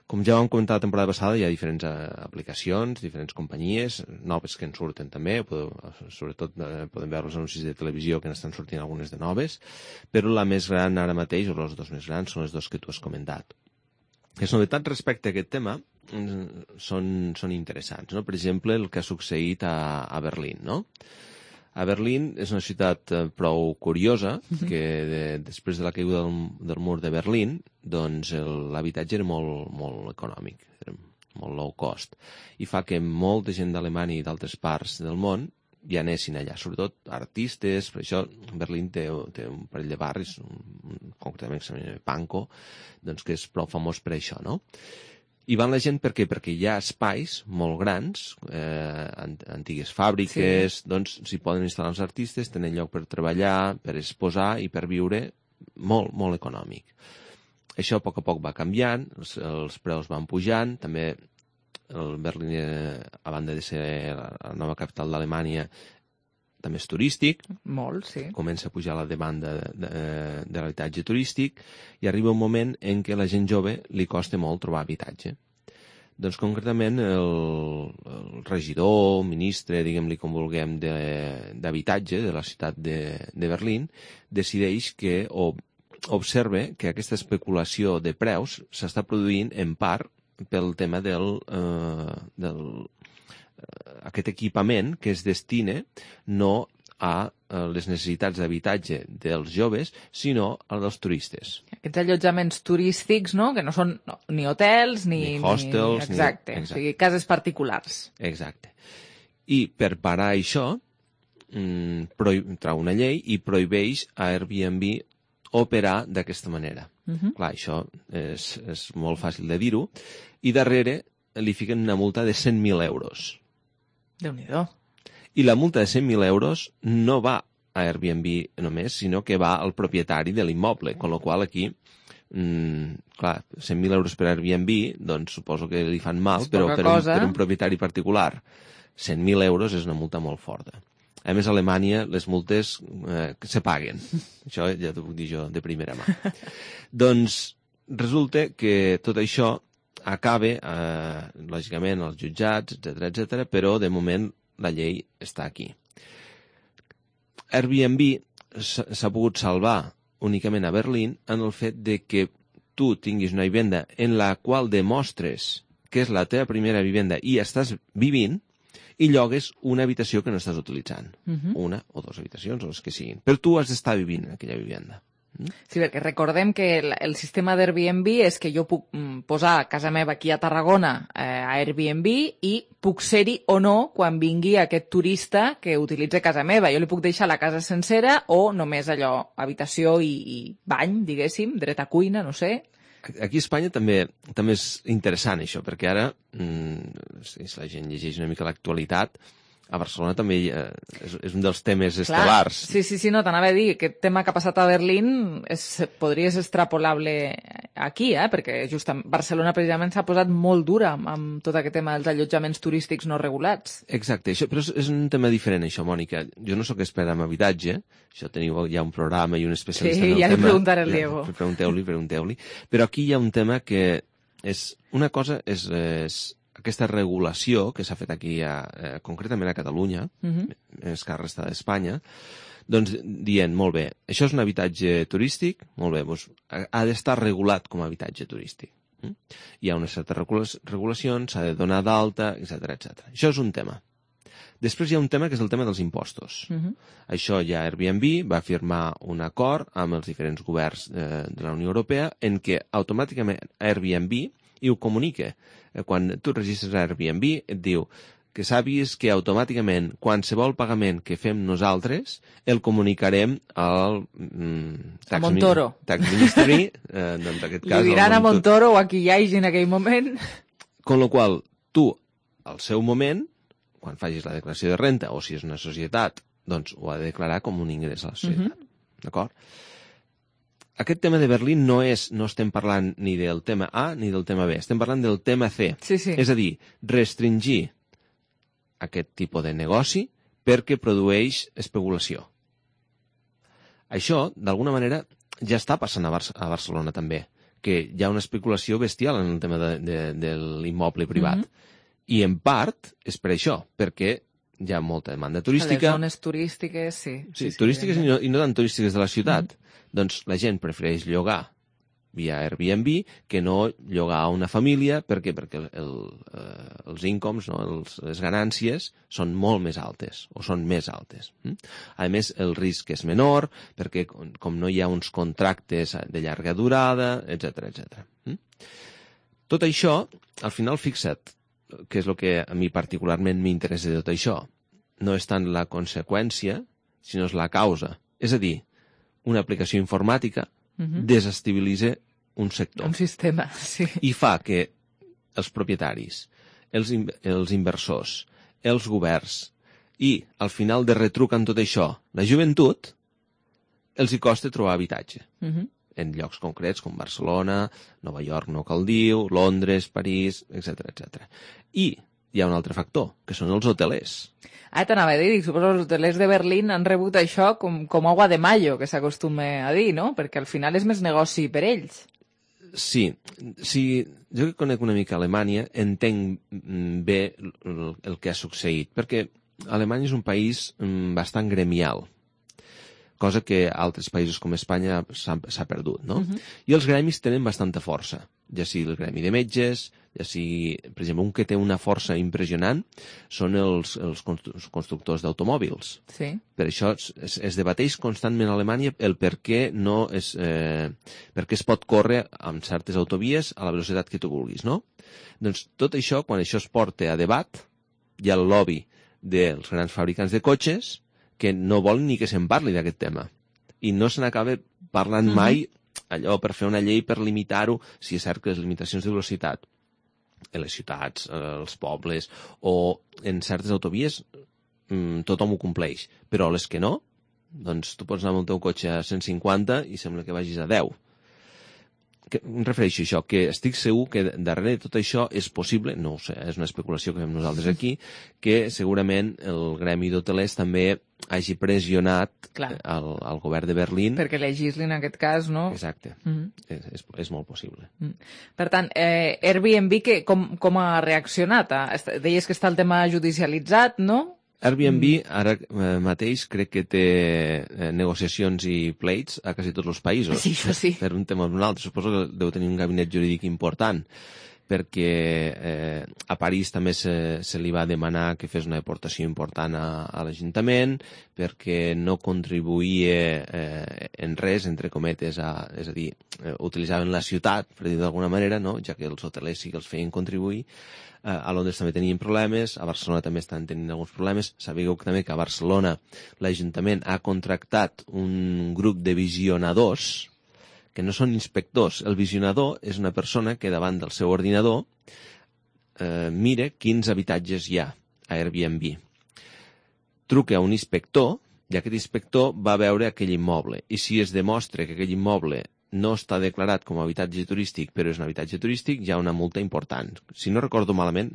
Com ja vam comentar la temporada passada, hi ha diferents uh, aplicacions, diferents companyies, noves que en surten també, podeu, sobretot uh, podem veure els anuncis de televisió que n'estan sortint algunes de noves, però la més gran ara mateix, o els dos més grans, són les dos que tu has comentat. Les novetats respecte a aquest tema mm, són, són interessants, no? Per exemple, el que ha succeït a, a Berlín, no? A Berlín és una ciutat eh, prou curiosa, que de, després de la caiguda del, del mur de Berlín, doncs l'habitatge era molt, molt econòmic, era molt low cost, i fa que molta gent d'Alemanya i d'altres parts del món ja anessin allà, sobretot artistes. Per això Berlín té, té un parell de barris, un, concretament que s'anomena Pankow, doncs que és prou famós per això, no? I van la gent per què? Perquè hi ha espais molt grans, eh, antigues fàbriques, sí. doncs s'hi poden instal·lar els artistes, tenen lloc per treballar, per exposar i per viure molt, molt econòmic. Això a poc a poc va canviant, els, els preus van pujant, també el Berlín, eh, a banda de ser la nova capital d'Alemanya, també és turístic. Molt, sí. Comença a pujar la demanda de, de, de l'habitatge turístic i arriba un moment en què la gent jove li costa molt trobar habitatge. Doncs concretament el, el regidor, ministre, diguem-li com vulguem, d'habitatge de, de la ciutat de, de Berlín decideix que, o observe que aquesta especulació de preus s'està produint en part pel tema del, eh, del aquest equipament que es destina no a les necessitats d'habitatge dels joves, sinó a dels turistes. Aquests allotjaments turístics, no?, que no són no, ni hotels, ni... Ni hostels... Ni, exacte, ni, exacte, o sigui, cases particulars. Exacte. I per parar això, mmm, trau una llei i prohibeix a Airbnb operar d'aquesta manera. Uh-huh. Clar, això és, és molt fàcil de dir-ho, i darrere li fiquen una multa de cent mil euros. Déu-n'hi-do. I la multa de cent mil euros no va a Airbnb només, sinó que va al propietari de l'immoble, con lo qual aquí, mmm, clar, cent mil euros per Airbnb, doncs suposo que li fan mal, però per un, per un propietari particular, cent mil euros és una multa molt forta. A més, a Alemanya les multes eh, se paguen. Això ja t'ho puc dir jo de primera mà. Doncs resulta que tot això acaba, eh, lògicament, als jutjats, etcètera, etcètera, però de moment la llei està aquí. Airbnb s'ha pogut salvar únicament a Berlín en el fet de que tu tinguis una vivenda en la qual demostres que és la teva primera vivenda i estàs vivint i llogues una habitació que no estàs utilitzant. Uh-huh. Una o dues habitacions, o les que siguin. Però tu has d'estar vivint en aquella vivenda. Sí, perquè recordem que el, el sistema d'Airbnb és que jo puc mm, posar casa meva aquí a Tarragona eh, a Airbnb i puc ser-hi o no quan vingui aquest turista que utilitza casa meva. Jo li puc deixar la casa sencera o només allò, habitació i, i bany, diguéssim, dret a cuina, no sé. Aquí a Espanya també també és interessant això, perquè ara, mmm, si la gent llegeix una mica l'actualitat, A Barcelona també eh, és, és un dels temes estel·lars. Sí, sí, sí, no, t'anava a dir, aquest tema que ha passat a Berlín és, podria ser extrapolable aquí, eh? Perquè justament Barcelona precisament s'ha posat molt dura amb, amb tot aquest tema dels allotjaments turístics no regulats. Exacte, això, però és, és un tema diferent, això, Mònica. Jo no sóc expert en habitatge, això teniu ja un programa i un especialista sí, en el ja tema. Sí, ja li preguntaré al Diego. Ja, pregunteu-li, pregunteu-li. Però aquí hi ha un tema que és... Una cosa és... és aquesta regulació que s'ha fet aquí, a, eh, concretament a Catalunya, uh-huh. més que a la resta d'Espanya, doncs dient, molt bé, això és un habitatge turístic, molt bé, doncs ha d'estar regulat com a habitatge turístic. Mm? Hi ha unes certes regulacions, s'ha de donar d'alta, etcètera, etcètera. Això és un tema. Després hi ha un tema que és el tema dels impostos. Uh-huh. Això ja Airbnb va firmar un acord amb els diferents governs eh, de la Unió Europea en què automàticament Airbnb i ho comunica. Quan tu registres a Airbnb et diu que sàpigues que automàticament qualsevol pagament que fem nosaltres el comunicarem al mm, tax, a Montoro. Tax Ministry. Eh, doncs, aquest cas, li diran a Montoro o a qui hi hagi en aquell moment. Con lo qual, tu, al seu moment, quan facis la declaració de renta o si és una societat, doncs ho ha de declarar com un ingrés a la societat. Uh-huh. D'acord? Aquest tema de Berlín no és, no estem parlant ni del tema A ni del tema B, estem parlant del tema C. Sí, sí. És a dir, restringir aquest tipus de negoci perquè produeix especulació. Això, d'alguna manera, ja està passant a, Bar- a Barcelona també, que hi ha una especulació bestial en el tema de, de, de l'immoble privat. Mm-hmm. I en part és per això, perquè hi ha molta demanda turística. A les zones turístiques, sí. Sí, sí turístiques sí, i, no, i no tan turístiques de la ciutat. Mm-hmm. Doncs la gent prefereix llogar via Airbnb que no llogar a una família. Per què? Perquè el, el, eh, els incomes, no? els, les ganàncies són molt més altes, o són més altes. Mm? A més, el risc és menor, perquè com, com no hi ha uns contractes de llarga durada, etcètera, etcètera. Mm? Tot això, al final, fixa't, que és el que a mi particularment m'interessa de tot això, no és tant la conseqüència, sinó és la causa. És a dir, una aplicació informàtica uh-huh. desestabilitza un sector. Un sistema, sí. I fa que els propietaris, els, in- els inversors, els governs i, al final de retruc en tot això, la joventut, els hi costa trobar habitatge. Uh-huh. En llocs concrets com Barcelona, Nova York no cal dir, Londres, París, etcètera, etcètera. I hi ha un altre factor, que són els hotelers. Ah, t'anava a dir, suposo que els hotelers de Berlín han rebut això com, com agua de mayo, que s'acostuma a dir, no? Perquè al final és més negoci per ells. Sí, sí, jo que conec una mica Alemanya entenc bé el, el que ha succeït, perquè Alemanya és un país bastant gremial, cosa que a altres països com Espanya s'ha, s'ha perdut, no? Uh-huh. I els gremis tenen bastanta força, ja sigui el gremi de metges, ja sigui, per exemple, un que té una força impressionant són els, els constructors d'automòbils. Sí. Per això es, es debateix constantment a Alemanya el per què no es, eh, per què es pot córrer amb certes autovies a la velocitat que tu vulguis, no? Doncs tot això, quan això es porta a debat, hi ha el lobby dels grans fabricants de cotxes que no volen ni que se'n parli d'aquest tema. I no se n'acaba parlant uh-huh. mai allò per fer una llei per limitar-ho, si és cert que les limitacions de velocitat en les ciutats, els pobles o en certes autovies mmm, tothom ho compleix, però les que no, doncs tu pots anar amb el teu cotxe a cent cinquanta i sembla que vagis a deu. Que, em refereixo a això, que estic segur que darrere de tot això és possible, no ho sé, és una especulació que fem nosaltres aquí, que segurament el gremi d'hotelers també hagi pressionat al, al govern de Berlín. Perquè legislin en aquest cas, no? Exacte, mm-hmm. és, és, és molt possible. Mm. Per tant, eh, Airbnb que, com, com ha reaccionat? Deies que està el tema judicialitzat, no? Airbnb ara eh, mateix crec que té eh, negociacions i pleits a quasi tots els països. Sí, això sí. Per un tema o un altre. Suposo que deu tenir un gabinet jurídic important, perquè eh, a París també se, se li va demanar que fes una aportació important a, a l'Ajuntament, perquè no contribuïa eh, en res, entre cometes, a, és a dir, eh, utilitzaven la ciutat, per dir d'alguna manera, no? Ja que els hotelers sí que els feien contribuir. A Londres també tenien problemes, a Barcelona també estan tenint alguns problemes. Sabeu també que a Barcelona l'Ajuntament ha contractat un grup de visionadors que no són inspectors. El visionador és una persona que davant del seu ordinador eh, mira quins habitatges hi ha a Airbnb. truca a un inspector i aquest inspector va a veure aquell immoble. I si es demostra que aquell immoble no està declarat com a habitatge turístic, però és un habitatge turístic, hi ha una multa important. Si no recordo malament,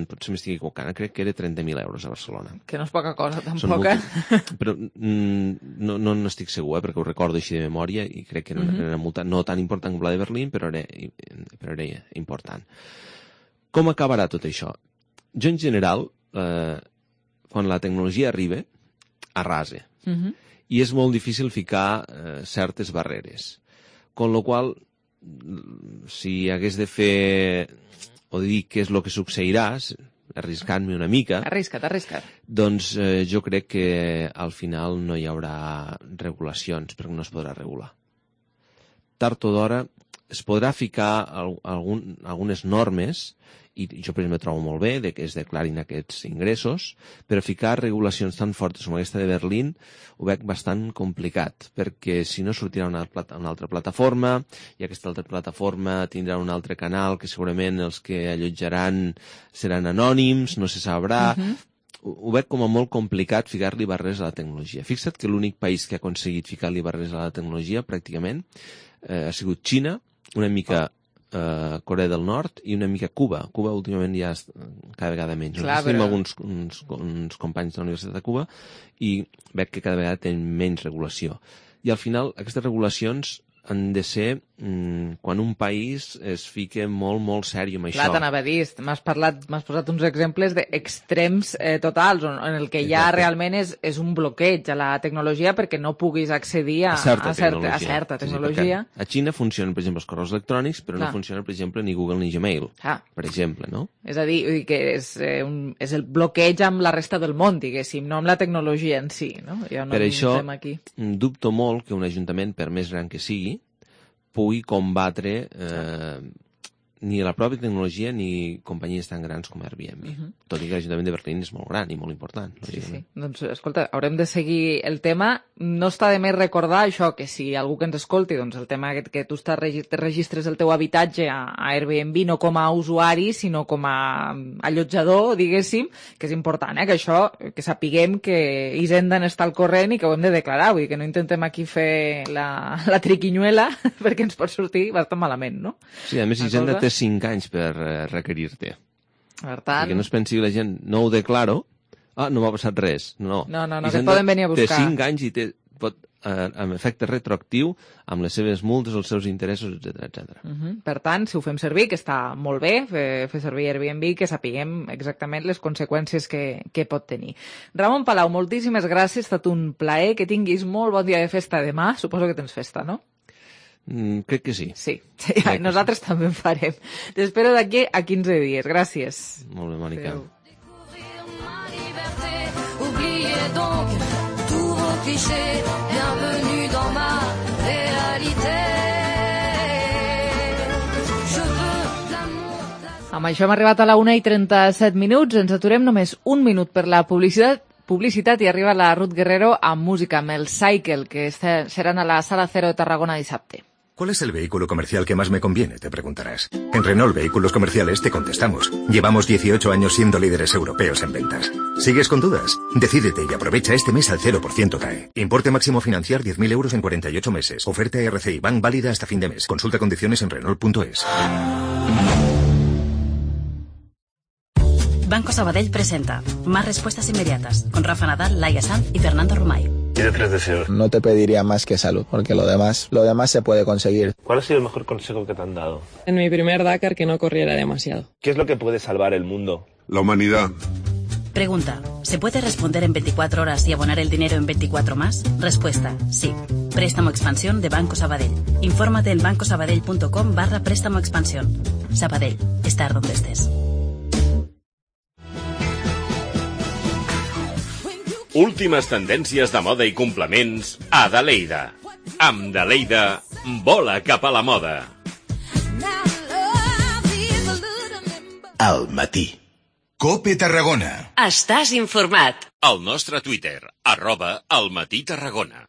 potser m'estic equivocant, crec que era trenta mil euros a Barcelona. Que no és poca cosa, tampoc, eh? Però no, no, no estic segur, eh, perquè ho recordo així de memòria i crec que era una, uh-huh. una multa no tan important com la de Berlín, però era, però era important. Com acabarà tot això? Jo, en general, eh, quan la tecnologia arriba, arrasa. Uh-huh. I és molt difícil ficar eh, certes barreres. Con lo qual, si hagués de fer o dir què és el que succeirà, arriscant-me una mica... Arrisca't, arrisca't. Doncs eh, jo crec que al final no hi haurà regulacions, perquè no es podrà regular. Tard o d'hora es podrà ficar algun, algunes normes, i jo per exemple trobo molt bé de que es declarin aquests ingressos, però ficar regulacions tan fortes com aquesta de Berlín ho veig bastant complicat, perquè si no sortirà una, una altra plataforma, i aquesta altra plataforma tindrà un altre canal que segurament els que allotjaran seran anònims, no se sabrà... Uh-huh. Ho veig com a molt complicat ficar-li barreres a la tecnologia. Fixa't que l'únic país que ha aconseguit ficar-li barreres a la tecnologia, pràcticament, eh, ha sigut Xina, una mica... Uh, Corea del Nord i una mica Cuba. Cuba últimament ja és cada vegada menys. Clar, però... Tenim alguns uns, uns companys de la Universitat de Cuba i veig que cada vegada tenen menys regulació. I al final aquestes regulacions han de ser mm, quan un país es fica molt, molt sèrio amb Clar, això. t'anava a dir, m'has parlat, m'has posat uns exemples d'extrems eh, totals, on, en el que ja Exacte. realment és, és un bloqueig a la tecnologia perquè no puguis accedir a, a, certa, a, certa, a certa tecnologia. Sí, a Xina funcionen, per exemple, els correus electrònics, però Clar. no funciona, per exemple, ni Google ni Gmail, ah. per exemple, no? És a dir, vull dir que és, eh, un, és el bloqueig amb la resta del món, diguéssim, no amb la tecnologia en si, no? Ja no per això, aquí. dubto molt que un ajuntament, per més gran que sigui, pugui combatre eh, ni la pròpia tecnologia ni companyies tan grans com Airbnb. Uh-huh. Tot i que l'Ajuntament de Berlín és molt gran i molt important. Sí, sí. Doncs, escolta, haurem de seguir el tema. No està de més recordar això, que si algú que ens escolti, doncs el tema que, que tu estàs te registres el teu habitatge a, a Airbnb no com a usuari, sinó com a allotjador, diguéssim, que és important, eh? Que això, que sapiguem que Hisenda n'està al corrent i que ho hem de declarar, vull dir que no intentem aquí fer la, la triquinyuela perquè ens pot sortir bastant malament, no? Sí, a més Hisenda té cinc anys per uh, requerir-te. Per tant... Perquè no es pensi la gent, no ho declaro, ah, no m'ha passat res. No, no, no, no que poden venir a buscar. Té cinc anys i té, pot, eh, amb efecte retroactiu, amb les seves multes, els seus interessos, etcètera, etcètera. Uh-huh. Per tant, si ho fem servir, que està molt bé, fer, fer servir Airbnb, que sapiguem exactament les conseqüències que, que pot tenir. Ramon Palau, moltíssimes gràcies, ha estat un plaer, que tinguis molt bon dia de festa demà, suposo que tens festa, no? Mm, crec que sí. Sí, sí crec nosaltres sí. també en farem. T'espero d'aquí a quinze dies. Gràcies. Molt bé, Mònica. Oubliez donc tous vos clichés, bienvenue dans ma réalité. Je veux l'amour. Amb això hem arribat a la una i trenta-set minuts. Ens aturem només un minut per la publicitat. Publicitat i arriba la Ruth Guerrero amb música, amb el Cycle, que seran a la Sala Cero de Tarragona dissabte. ¿Cuál es el vehículo comercial que más me conviene?, te preguntarás. En Renault Vehículos Comerciales te contestamos. Llevamos dieciocho años siendo líderes europeos en ventas. ¿Sigues con dudas? Decídete y aprovecha este mes al cero por ciento T A E. Importe máximo financiar diez mil euros en cuarenta y ocho meses. Oferta R C I Bank válida hasta fin de mes. Consulta condiciones en Renault punto es. Banco Sabadell presenta Más respuestas inmediatas con Rafa Nadal, Laia Sanz y Fernando Romay. Pide tres deseos. No te pediría más que salud, porque lo demás, lo demás se puede conseguir. ¿Cuál ha sido el mejor consejo que te han dado? En mi primer Dakar, que no corriera demasiado. ¿Qué es lo que puede salvar el mundo? La humanidad. Pregunta, ¿se puede responder en veinticuatro horas y abonar el dinero en veinticuatro más? Respuesta, sí. Préstamo Expansión de Banco Sabadell. Infórmate en bancosabadell punto com barra préstamo expansión. Sabadell, estar donde estés. Últimes tendències de moda i complements a Daleida. Amb Daleida, vola cap a la moda. Al matí. COPE Tarragona. Estàs informat. El nostre Twitter, arroba Al Matí Tarragona.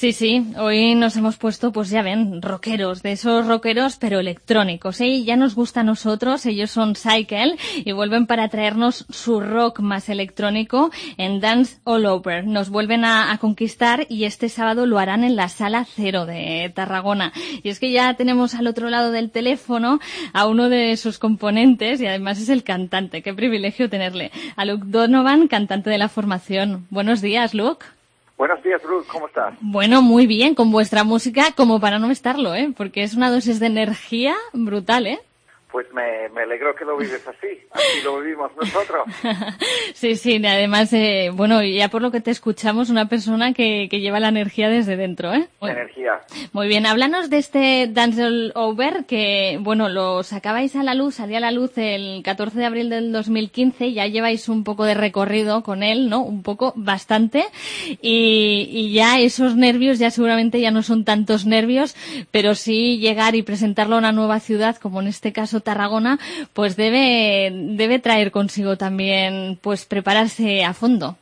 Sí, sí, hoy nos hemos puesto, pues ya ven, rockeros, de esos rockeros pero electrónicos, ¿eh? Ya nos gusta a nosotros, ellos son Cycle y vuelven para traernos su rock más electrónico en Dance All Over. Nos vuelven a, a conquistar y este sábado lo harán en la Sala Cero de Tarragona. Y es que ya tenemos al otro lado del teléfono a uno de sus componentes y además es el cantante. Qué privilegio tenerle. A Luke Donovan, cantante de la formación. Buenos días, Luke. Buenos días, Ruth, ¿cómo estás? Bueno, muy bien, con vuestra música, como para no estarlo, ¿eh? Porque es una dosis de energía brutal, ¿eh? Pues me, me alegro que lo vives así, así lo vivimos nosotros. Sí, sí, además, eh, bueno, ya por lo que te escuchamos, una persona que, que lleva la energía desde dentro, ¿eh? Bueno, energía. Muy bien, háblanos de este Dance All Over, que, bueno, lo sacabais a la luz, salía a la luz el catorce de abril del dos mil quince, ya lleváis un poco de recorrido con él, ¿no? Un poco, bastante, y, y ya esos nervios ya seguramente ya no son tantos nervios, pero sí llegar y presentarlo a una nueva ciudad, como en este caso Tarragona, pues debe debe traer consigo también pues prepararse a fondo.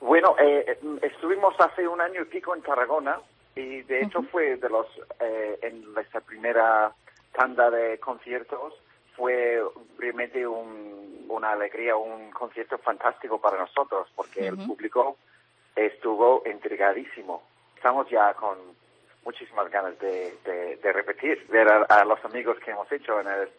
Bueno, eh, estuvimos hace un año y pico en Tarragona y de hecho uh-huh. fue de los eh, en esta primera tanda de conciertos fue realmente un, una alegría, un concierto fantástico para nosotros porque uh-huh. el público estuvo intrigadísimo. Estamos ya con muchísimas ganas de, de, de repetir, ver a, a los amigos que hemos hecho en el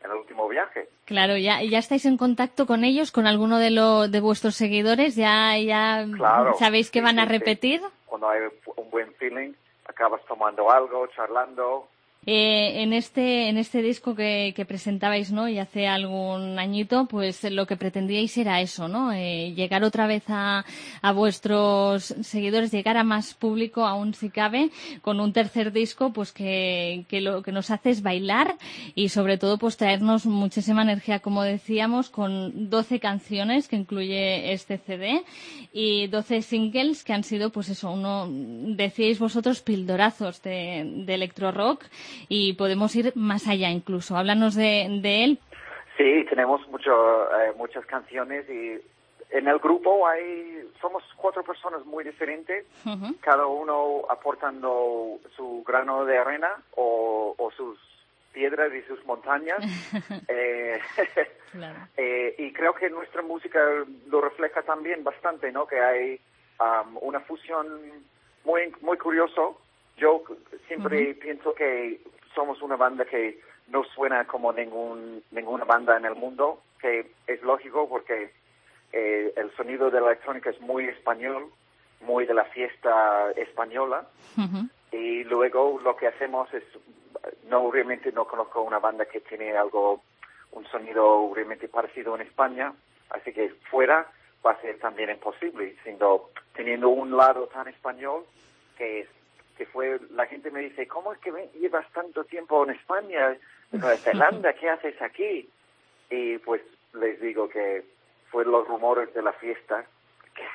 en el último viaje. Claro, ya ya estáis en contacto con ellos, con alguno de lo, de vuestros seguidores, ya ya claro, sabéis que sí, van a sí, repetir. Sí. Cuando hay un buen feeling, acabas tomando algo, charlando. Eh, en este en este disco que, que presentabais, ¿no? Y hace algún añito, pues lo que pretendíais era eso, ¿no? Eh, llegar otra vez a, a vuestros seguidores, llegar a más público, aún si cabe, con un tercer disco, pues que, que lo que nos hace es bailar y sobre todo pues traernos muchísima energía, como decíamos, con doce canciones que incluye este C D y doce singles que han sido, pues eso, uno, decíais vosotros, pildorazos de, de electro rock. Y podemos ir más allá incluso. Háblanos de, de él. Sí, tenemos mucho, eh, muchas canciones y en el grupo hay somos cuatro personas muy diferentes, uh-huh. cada uno aportando su grano de arena o, o sus piedras y sus montañas. eh, claro. eh, y creo que nuestra música lo refleja también bastante, ¿no? Que hay um, una fusión muy, muy curioso. Yo siempre uh-huh. pienso que somos una banda que no suena como ningún ninguna banda en el mundo, que es lógico porque eh, el sonido de la electrónica es muy español, muy de la fiesta española, uh-huh. y luego lo que hacemos es, no realmente no conozco una banda que tiene algo, un sonido realmente parecido en España, así que fuera va a ser también imposible, siendo, teniendo un lado tan español que es que fue, la gente me dice, ¿cómo es que llevas tanto tiempo en España, en Nueva Zelanda? ¿Qué haces aquí? Y pues les digo que fueron los rumores de la fiesta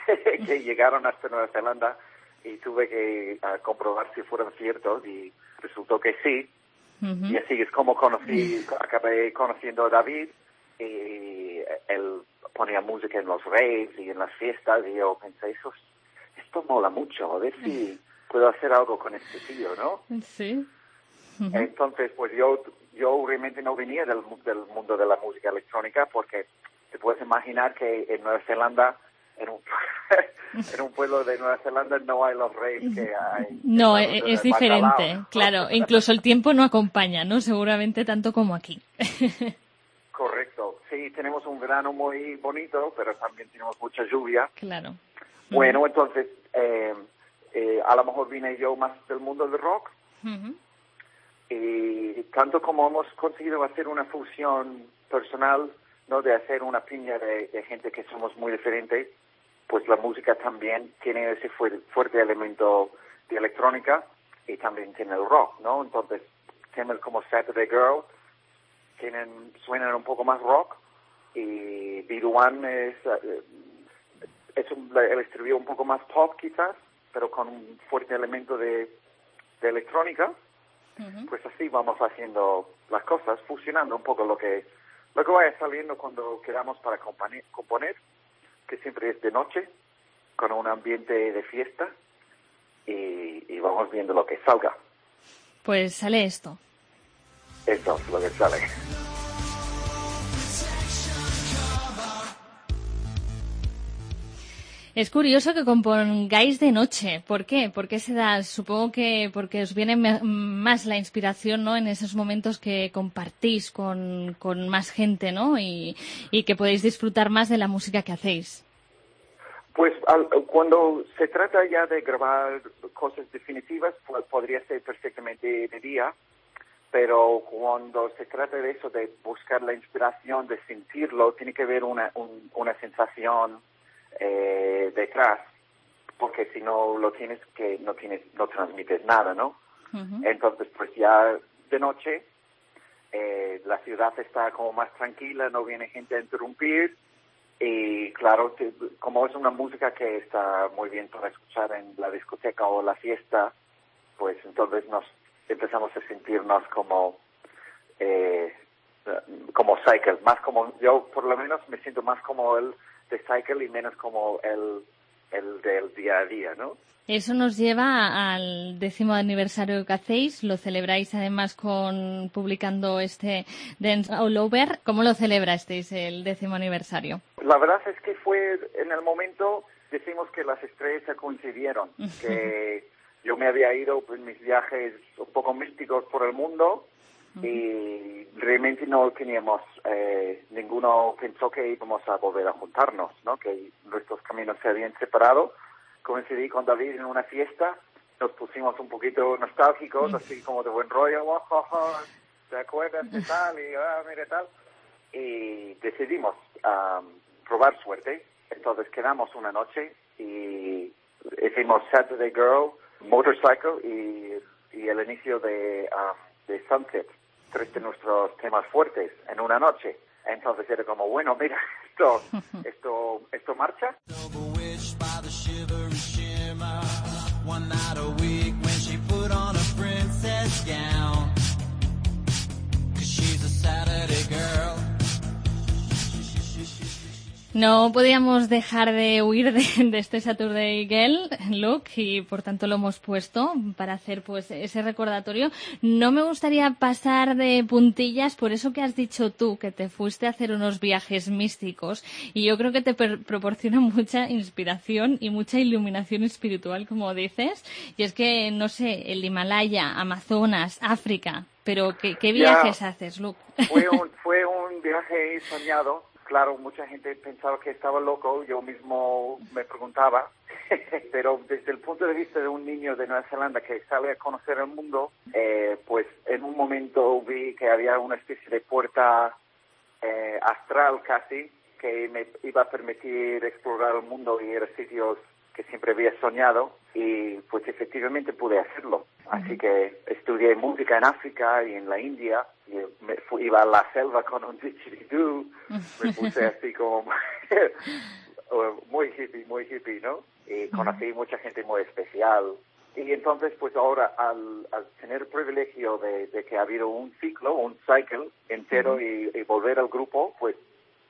que, que llegaron hasta Nueva Zelanda y tuve que uh, comprobar si fueron ciertos y resultó que sí. Uh-huh. Y así es como conocí, acabé conociendo a David y él ponía música en los raves y en las fiestas y yo pensé, eso, esto mola mucho, a ver si puedo hacer algo con este tío, ¿no? Sí. Uh-huh. Entonces, pues yo yo realmente no venía del, del mundo de la música electrónica porque te puedes imaginar que en Nueva Zelanda, en un, en un pueblo de Nueva Zelanda no hay los raves que hay. No, es, es diferente, bacalao. Claro. Incluso el tiempo no acompaña, ¿no? Seguramente tanto como aquí. Correcto. Sí, tenemos un verano muy bonito, pero también tenemos mucha lluvia. Claro. Bueno, uh-huh. entonces... Eh, Eh, a lo mejor vine yo más del mundo del rock uh-huh. y tanto como hemos conseguido hacer una fusión personal, no de hacer una piña de, de gente que somos muy diferentes, pues la música también tiene ese fu- fuerte elemento de electrónica y también tiene el rock, ¿no? Entonces temas como Saturday Girl tienen suenan un poco más rock y Be The One es, uh, es un, el estribillo un poco más pop quizás, pero con un fuerte elemento de, de electrónica, uh-huh. pues así vamos haciendo las cosas, fusionando un poco lo que lo que vaya saliendo cuando quedamos para componer, componer, que siempre es de noche, con un ambiente de fiesta, y, y vamos viendo lo que salga. Pues sale esto. Esto es lo que sale. Es curioso que compongáis de noche. ¿Por qué? ¿Por qué se da? Supongo que porque os viene me- más la inspiración, ¿no? En esos momentos que compartís con, con más gente, ¿no? Y, y que podéis disfrutar más de la música que hacéis. Pues al, cuando se trata ya de grabar cosas definitivas, pues podría ser perfectamente de día, pero cuando se trata de eso, de buscar la inspiración, de sentirlo, tiene que haber una, un, una sensación eh, detrás, porque si no lo tienes, que no tienes, no transmites nada, ¿no? Uh-huh. Entonces, pues ya de noche, eh, la ciudad está como más tranquila, no viene gente a interrumpir, y claro, te, como es una música que está muy bien para escuchar en la discoteca o la fiesta, pues entonces nos empezamos a sentirnos como eh, como Cycle, más como, yo por lo menos me siento más como el de Cycle y menos como el, el del día a día, ¿no? Eso nos lleva al décimo aniversario que hacéis, lo celebráis además con publicando este Dance All Over. ¿Cómo lo celebrasteis el décimo aniversario? La verdad es que fue en el momento, decimos que las estrellas se coincidieron, que yo me había ido en mis viajes un poco místicos por el mundo y realmente no teníamos, eh, ninguno pensó que íbamos a volver a juntarnos, ¿no? Que nuestros caminos se habían separado. Coincidí con David en una fiesta, nos pusimos un poquito nostálgicos, así como de buen rollo, oh, oh, oh, ¿te acuerdas de tal? Y ah, mira tal. Y decidimos um, probar suerte, entonces quedamos una noche y hicimos Saturday Girl, Motorcycle y, y el inicio de, um, de Sunset, tres de nuestros temas fuertes en una noche. Entonces era como, bueno, mira, esto, esto, esto marcha. One night a week when she put on a princess gown, 'cause she's a Saturday girl. No podíamos dejar de huir de, de este Saturday Girl look y por tanto lo hemos puesto para hacer pues ese recordatorio. No me gustaría pasar de puntillas por eso que has dicho tú, que te fuiste a hacer unos viajes místicos y yo creo que te per- proporciona mucha inspiración y mucha iluminación espiritual, como dices. Y es que, no sé, el Himalaya, Amazonas, África, pero ¿qué, qué viajes yeah. haces, Luke? Fue un, fue un viaje soñado. Claro, mucha gente pensaba que estaba loco, yo mismo me preguntaba, pero desde el punto de vista de un niño de Nueva Zelanda que sale a conocer el mundo, eh, pues en un momento vi que había una especie de puerta eh, astral casi, que me iba a permitir explorar el mundo y ir a sitios que siempre había soñado, y pues efectivamente pude hacerlo. Así que estudié música en África y en la India, y me fui, iba a la selva con un didgeridoo, me puse así como muy hippie, muy hippie, ¿no? Y conocí mucha gente muy especial. Y entonces, pues ahora, al, al tener el privilegio de, de que ha habido un ciclo, un cycle entero uh-huh. y, y volver al grupo, pues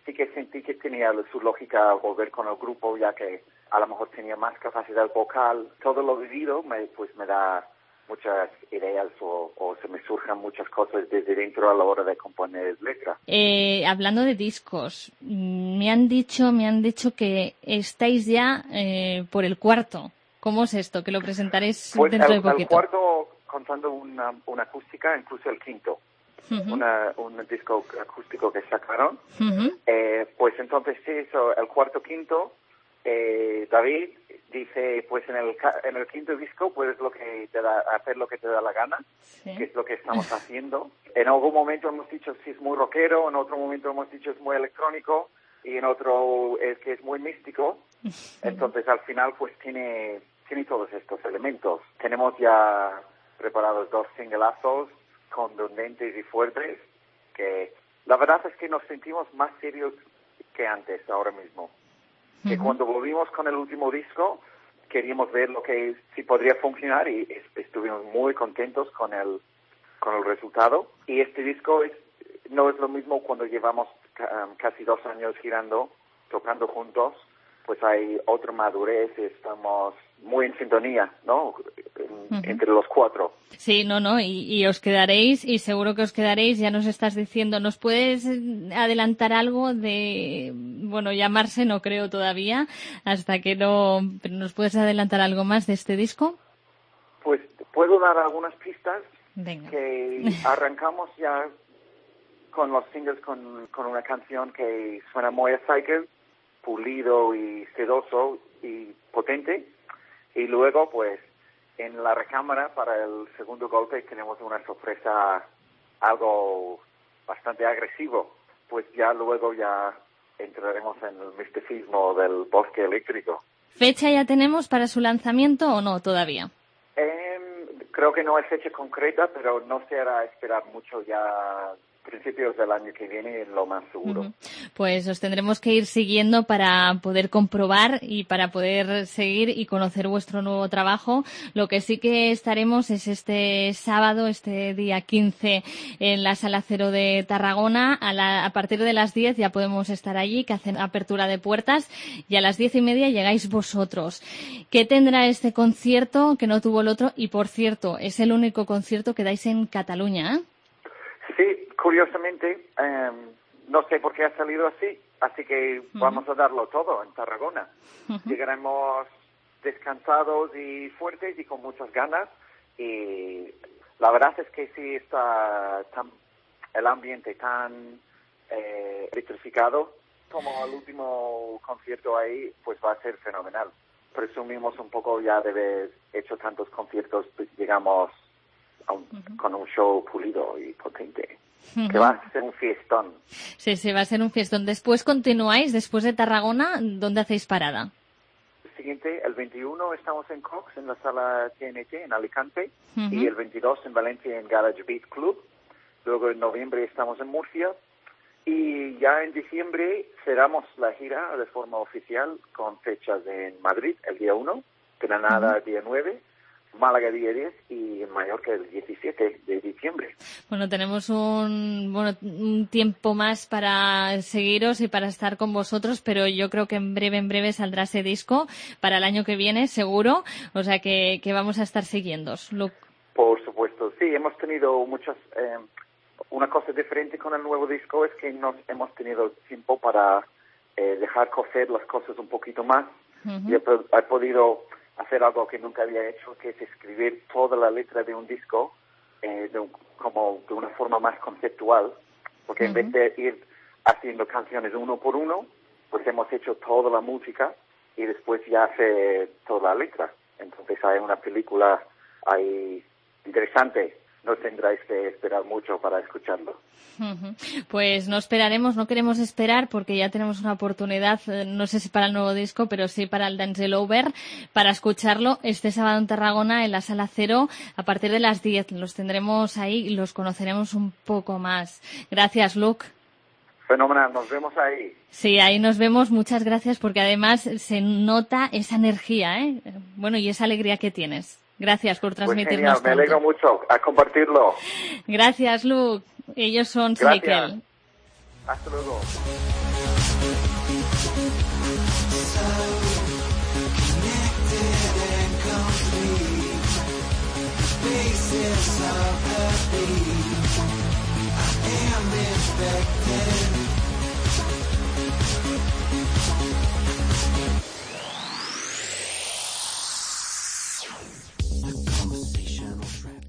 sí que sentí que tenía su lógica volver con el grupo, ya que a lo mejor tenía más capacidad vocal. Todo lo vivido me, pues me da muchas ideas o, o se me surjan muchas cosas desde dentro a la hora de componer letra. Eh, hablando de discos, me han dicho, me han dicho que estáis ya eh, por el cuarto. ¿Cómo es esto? Que lo presentaréis pues dentro el, de poquito. El cuarto, contando una, una acústica, incluso el quinto. Uh-huh. Una, un disco acústico que sacaron. Uh-huh. Eh, pues entonces sí, eso, el cuarto, quinto, eh, David dice, pues en el en el quinto disco puedes lo que te da, hacer lo que te da la gana, sí. que es lo que estamos haciendo. En algún momento hemos dicho si es muy rockero, en otro momento hemos dicho es muy electrónico y en otro es que es muy místico. Entonces al final pues tiene tiene todos estos elementos. Tenemos ya preparados dos singlazos contundentes y fuertes, que la verdad es que nos sentimos más serios que antes, ahora mismo. Uh-huh. Que cuando volvimos con el último disco, queríamos ver lo que si podría funcionar y estuvimos muy contentos con el con el resultado. Y este disco es, no es lo mismo cuando llevamos um, casi dos años girando, tocando juntos, pues hay otra madurez, estamos muy en sintonía, ¿no? Uh-huh. Entre los cuatro. Sí, no, no, y, y os quedaréis, y seguro que os quedaréis, ya nos estás diciendo. ¿Nos puedes adelantar algo de, bueno, llamarse no creo todavía, hasta que no, pero ¿nos puedes adelantar algo más de este disco? Pues puedo dar algunas pistas. Venga. Que arrancamos ya con los singles con, con una canción que suena muy a Cycle, pulido y sedoso y potente, y luego pues en la recámara para el segundo golpe tenemos una sorpresa, algo bastante agresivo, pues ya luego ya entraremos en el misticismo del bosque eléctrico. ¿Fecha ya tenemos para su lanzamiento o no todavía? Eh, creo que no hay fecha concreta, pero no se hará esperar mucho, ya principios del año que viene, lo más seguro. Uh-huh. Pues os tendremos que ir siguiendo para poder comprobar y para poder seguir y conocer vuestro nuevo trabajo. Lo que sí que estaremos es este sábado, este día quince, en la Sala Cero de Tarragona. A, la, a partir de las diez ya podemos estar allí, que hacen apertura de puertas, y a las diez y media llegáis vosotros. ¿Qué tendrá este concierto que no tuvo el otro? Y, por cierto, es el único concierto que dais en Cataluña, ¿eh? Sí, curiosamente, eh, no sé por qué ha salido así, así que uh-huh. vamos a darlo todo en Tarragona. Uh-huh. Llegaremos descansados y fuertes y con muchas ganas, y la verdad es que sí está tan, el ambiente tan eh, electrificado como el último concierto ahí, pues va a ser fenomenal. Presumimos un poco ya de haber hecho tantos conciertos, digamos, Un, uh-huh. con un show pulido y potente, uh-huh. que va a ser un fiestón. Sí, sí, va a ser un fiestón. Después continuáis, después de Tarragona, ¿dónde hacéis parada? El siguiente, el veintiuno estamos en Cox, en la sala T N T, en Alicante, uh-huh. y el veintidós en Valencia, en Garage Beat Club. Luego en noviembre estamos en Murcia, y ya en diciembre cerramos la gira de forma oficial con fechas en Madrid, el día uno, Granada, uh-huh. el día nueve, Málaga día diez y en Mallorca el diecisiete de diciembre. Bueno, tenemos un, bueno, un tiempo más para seguiros y para estar con vosotros, pero yo creo que en breve, en breve saldrá ese disco para el año que viene, seguro. O sea que, que vamos a estar siguiéndos. Luke. Por supuesto, sí, hemos tenido muchas... Eh, una cosa diferente con el nuevo disco es que nos hemos tenido tiempo para eh, dejar cocer las cosas un poquito más. Uh-huh. Y he, he podido... hacer algo que nunca había hecho, que es escribir toda la letra de un disco eh, de un, como de una forma más conceptual, porque uh-huh. en vez de ir haciendo canciones uno por uno, pues hemos hecho toda la música y después ya hace toda la letra. Entonces hay una película ahí interesante. No tendráis que esperar mucho para escucharlo. Uh-huh. Pues no esperaremos, no queremos esperar, porque ya tenemos una oportunidad, no sé si para el nuevo disco, pero sí para el Dance Over, para escucharlo este sábado en Tarragona, en la Sala Cero, a partir de las diez. Los tendremos ahí y los conoceremos un poco más. Gracias, Luke. Fenomenal, nos vemos ahí. Sí, ahí nos vemos. Muchas gracias, porque además se nota esa energía, ¿eh? Bueno, y esa alegría que tienes. Gracias por transmitirnos. Pues genial, me alegro mucho a compartirlo. Gracias, Luke. Ellos son Gracias. Cycle. Hasta luego.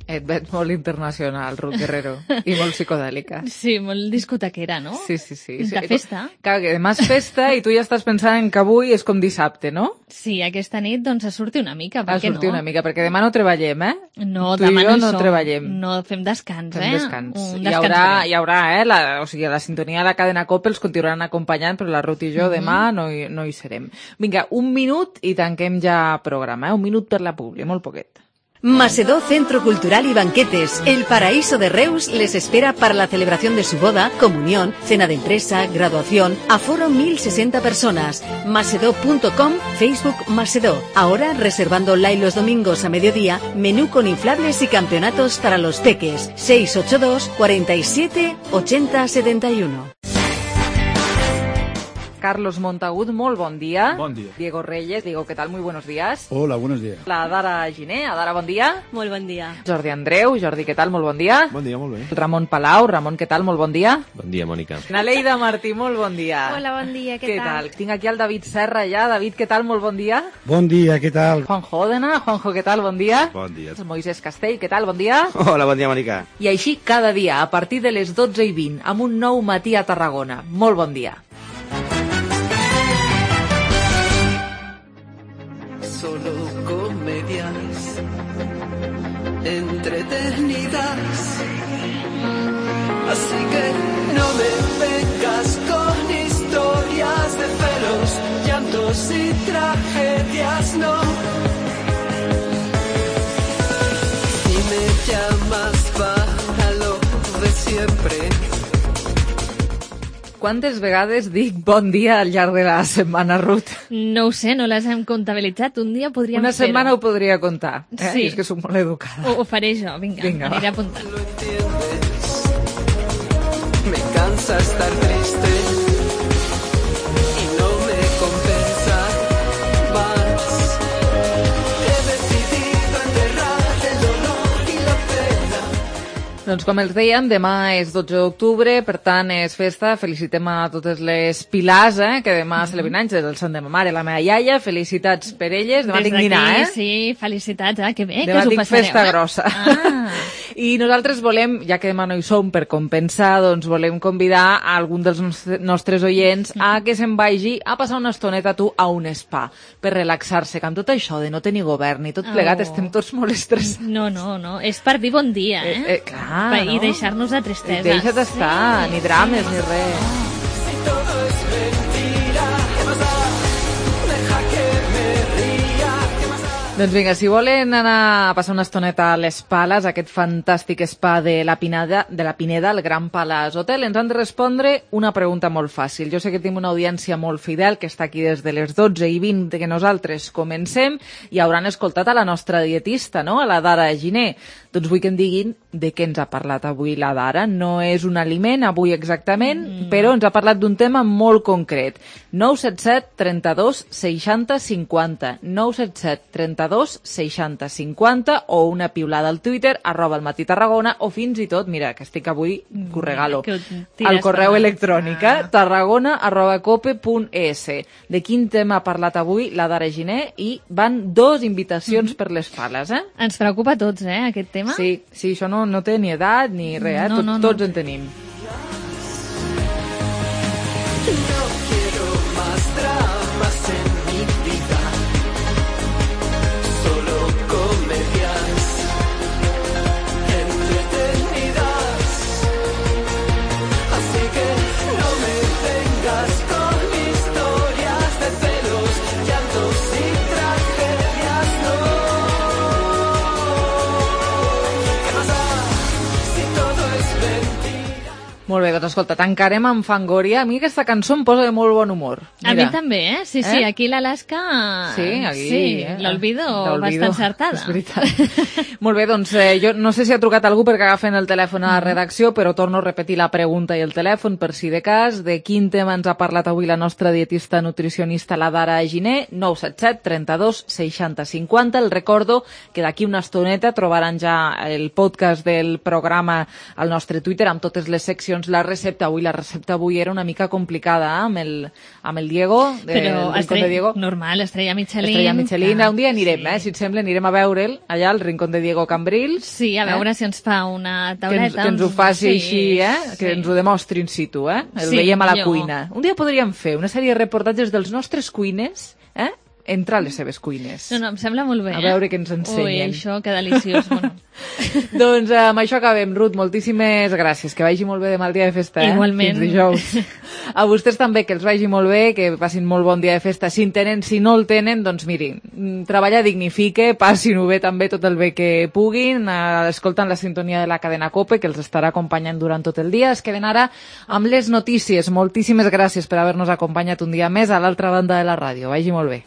Et veig molt internacional, Ruth Guerrero, i molt psicodèlica. Sí, molt discotequera, no? Sí, sí, sí. De festa. Clar, que demà és festa i tu ja estàs pensant en que avui és com dissabte, no? Sí, aquesta nit doncs a sortir una mica, per a què no? A sortir una mica, perquè demà no treballem, eh? No, tu demà i jo no, no som. treballem. No, fem descans, fem eh? descans. Un hi descans haurà, breu. hi haurà, eh? La, o sigui, la sintonia de la cadena Cope els continuaran acompanyant, però la Ruth i jo Mhm. demà no hi, no hi serem. Vinga, un minut i tanquem ja programa, eh? Un minut per la publi, molt poquet. Macedó Centro Cultural y Banquetes, El Paraíso de Reus, les espera para la celebración de su boda, comunión, cena de empresa, graduación, aforo mil sesenta personas. Macedó punto com, Facebook Macedó. Ahora reservando online los domingos a mediodía, menú con inflables y campeonatos para los peques. seis ocho dos, cuarenta y siete, ochenta setenta y uno. Carlos Montagut, molt bon dia. Bon dia. Diego Reyes, Diego, ¿qué tal? Muy buenos días. Hola, buenos días. La Dara Giné, Adara, bon dia. Molt bon dia. Jordi Andreu, Jordi, què tal? Molt bon dia. Bon dia, molt bé. Ramon Palau, Ramon, què tal? Molt bon dia. Bon dia, Mònica. Naleida Martí, molt bon dia. Hola, bon dia, què, Què tal? Tinc aquí el David Serra ja. David, què tal? Molt bon dia. Bon dia, què tal? Juanjo Òdena, Juanjo, què tal? Bon dia. Bon dia. El Moisés Castell, què tal? Bon dia. Hola, bon dia, Mònica. I així cada dia, a partir de les dotze i vint, amb un nou matí a Tarragona. Molt bon dia. Solo comedias entretenidas, así que no me vengas con historias de celos, llantos y tragedias, no. Si me llamas para lo de siempre. Quantes vegades dic bon dia al llarg de la setmana, Ruth? No ho sé, no les hem comptabilitzat. Un dia podríem Una fer-ho. setmana ho podria comptar. Eh? Sí. És que soc molt educada. Ho, ho faré jo, vinga, Vinga, aniré va. apuntant. Me cansa estar triste y no me compensa más. He decidido enterrar el dolor y la pena. Doncs com els dèiem, demà és dotze d'octubre, per tant és festa. Felicitem a totes les Pilars, eh, que demà Mhm. celebren anys, del sant de ma mare, la meva iaia. Felicitats per elles. Demà Des tinc d'aquí, dinar, eh? Sí, felicitats, eh? Que bé, que Demà us ho tinc passareu. festa eh? grossa. Ah. I nosaltres volem, ja que demà no hi som, per compensar, doncs volem convidar a algun dels nostre- nostres oients a que se'n vagi a passar una estoneta tu a un spa, per relaxar-se, que amb tot això de no tenir govern i tot plegat Oh. estem tots molt estressats. No, no, no, és per dir bon dia, eh? Eh, eh, clar, Per- I no? deixar-nos de tristesa. Deixa't estar, Sí. ni drames ni res. Si todo es mentira, ¿qué más da? Deja que me ría, ¿qué más da? Doncs vinga, si volen anar a passar una estoneta a les Pales, aquest fantàstic spa de la Pineda, de la Pineda, el Gran Palace Hotel, ens han de respondre una pregunta molt fàcil. Jo sé que tenim una audiència molt fidel, que està aquí des de les dotze i vint que nosaltres comencem, i hauran escoltat a la nostra dietista, no?, a la Dara Giné. Doncs vull que em diguin de què ens ha parlat avui la Dara. No és un aliment avui exactament, mm. però ens ha parlat d'un tema molt concret. nou set set trenta-dos seixanta cinquanta. nou set set trenta-dos seixanta cinquanta o una piulada al Twitter, arroba el matí Tarragona, o fins i tot, mira, que estic avui, que ho regalo, que ho tires al correu per- electrònic, ah. tarragona arroba cope punt es. De quin tema ha parlat avui la Dara Giné? I van dos invitacions per les Pales, eh? Ens preocupa a tots, eh, aquest tema. Sí, sí, això no, no té ni edat ni res, eh? No, Tot, no, no. tots en tenim. No quiero más dramas en mi vida, solo comedias entretenidas. Así que no me vengas con historias de celos, llantos y tragedias, no. ¿Qué más da si todo es mentira? Molt bé, doncs escolta, tancarem amb Fangoria. A mi aquesta cançó em posa de molt bon humor. A mi també, eh? Sí, sí, Eh? aquí l'Alaska... Sí, aquí, Sí, eh? l'Olvido L'Olvido, va estar encertada. és veritat. Molt bé, doncs eh, jo no sé si ha trucat algú perquè agafen el telèfon a la redacció, però torno a repetir la pregunta i el telèfon per si de cas. De quin tema ens ha parlat avui la nostra dietista nutricionista, la Dara Giné? nou set set trenta-dos seixanta cinquanta. El recordo que d'aquí una estoneta trobaran ja el podcast del programa al nostre Twitter amb totes les seccions. La recepta avui, la recepta avui era una mica complicada, eh? amb, el, amb el Diego, de, Però el Rincón de estrella, Diego. normal, estrella Michelin. Estrella Michelin. clar, Un dia anirem, sí. eh? Si et sembla, anirem a veure'l allà al Rincón de Diego Cambrils. Sí, a veure eh? si ens fa una Que ens, tauleta. que ens ho faci Sí, així, eh? sí. Que ens ho demostri in situ, eh? El Sí, veiem a la millor. cuina. Un dia podríem fer una sèrie de reportatges dels nostres cuiners, eh? Entrar a les seves cuines. No, no, em sembla molt bé. A eh? veure què ens ensenyen. Ui, això, que deliciós. Bueno. Doncs eh, amb això acabem, Ruth. Moltíssimes gràcies. Que vagi molt bé demà el dia de festa, eh? Igualment. Fins dijous. A vostès també, que els vagi molt bé, que passin molt bon dia de festa. Si en tenen, si no el tenen, doncs mirin, mm, treballar dignifique, passin-ho bé també tot el bé que puguin, eh, escoltant la sintonia de la cadena COPE, que els estarà acompanyant durant tot el dia. Es queden ara amb les notícies. Moltíssimes gràcies per haver-nos acompanyat un dia més a l'altra banda de la ràdio. Vagi molt bé.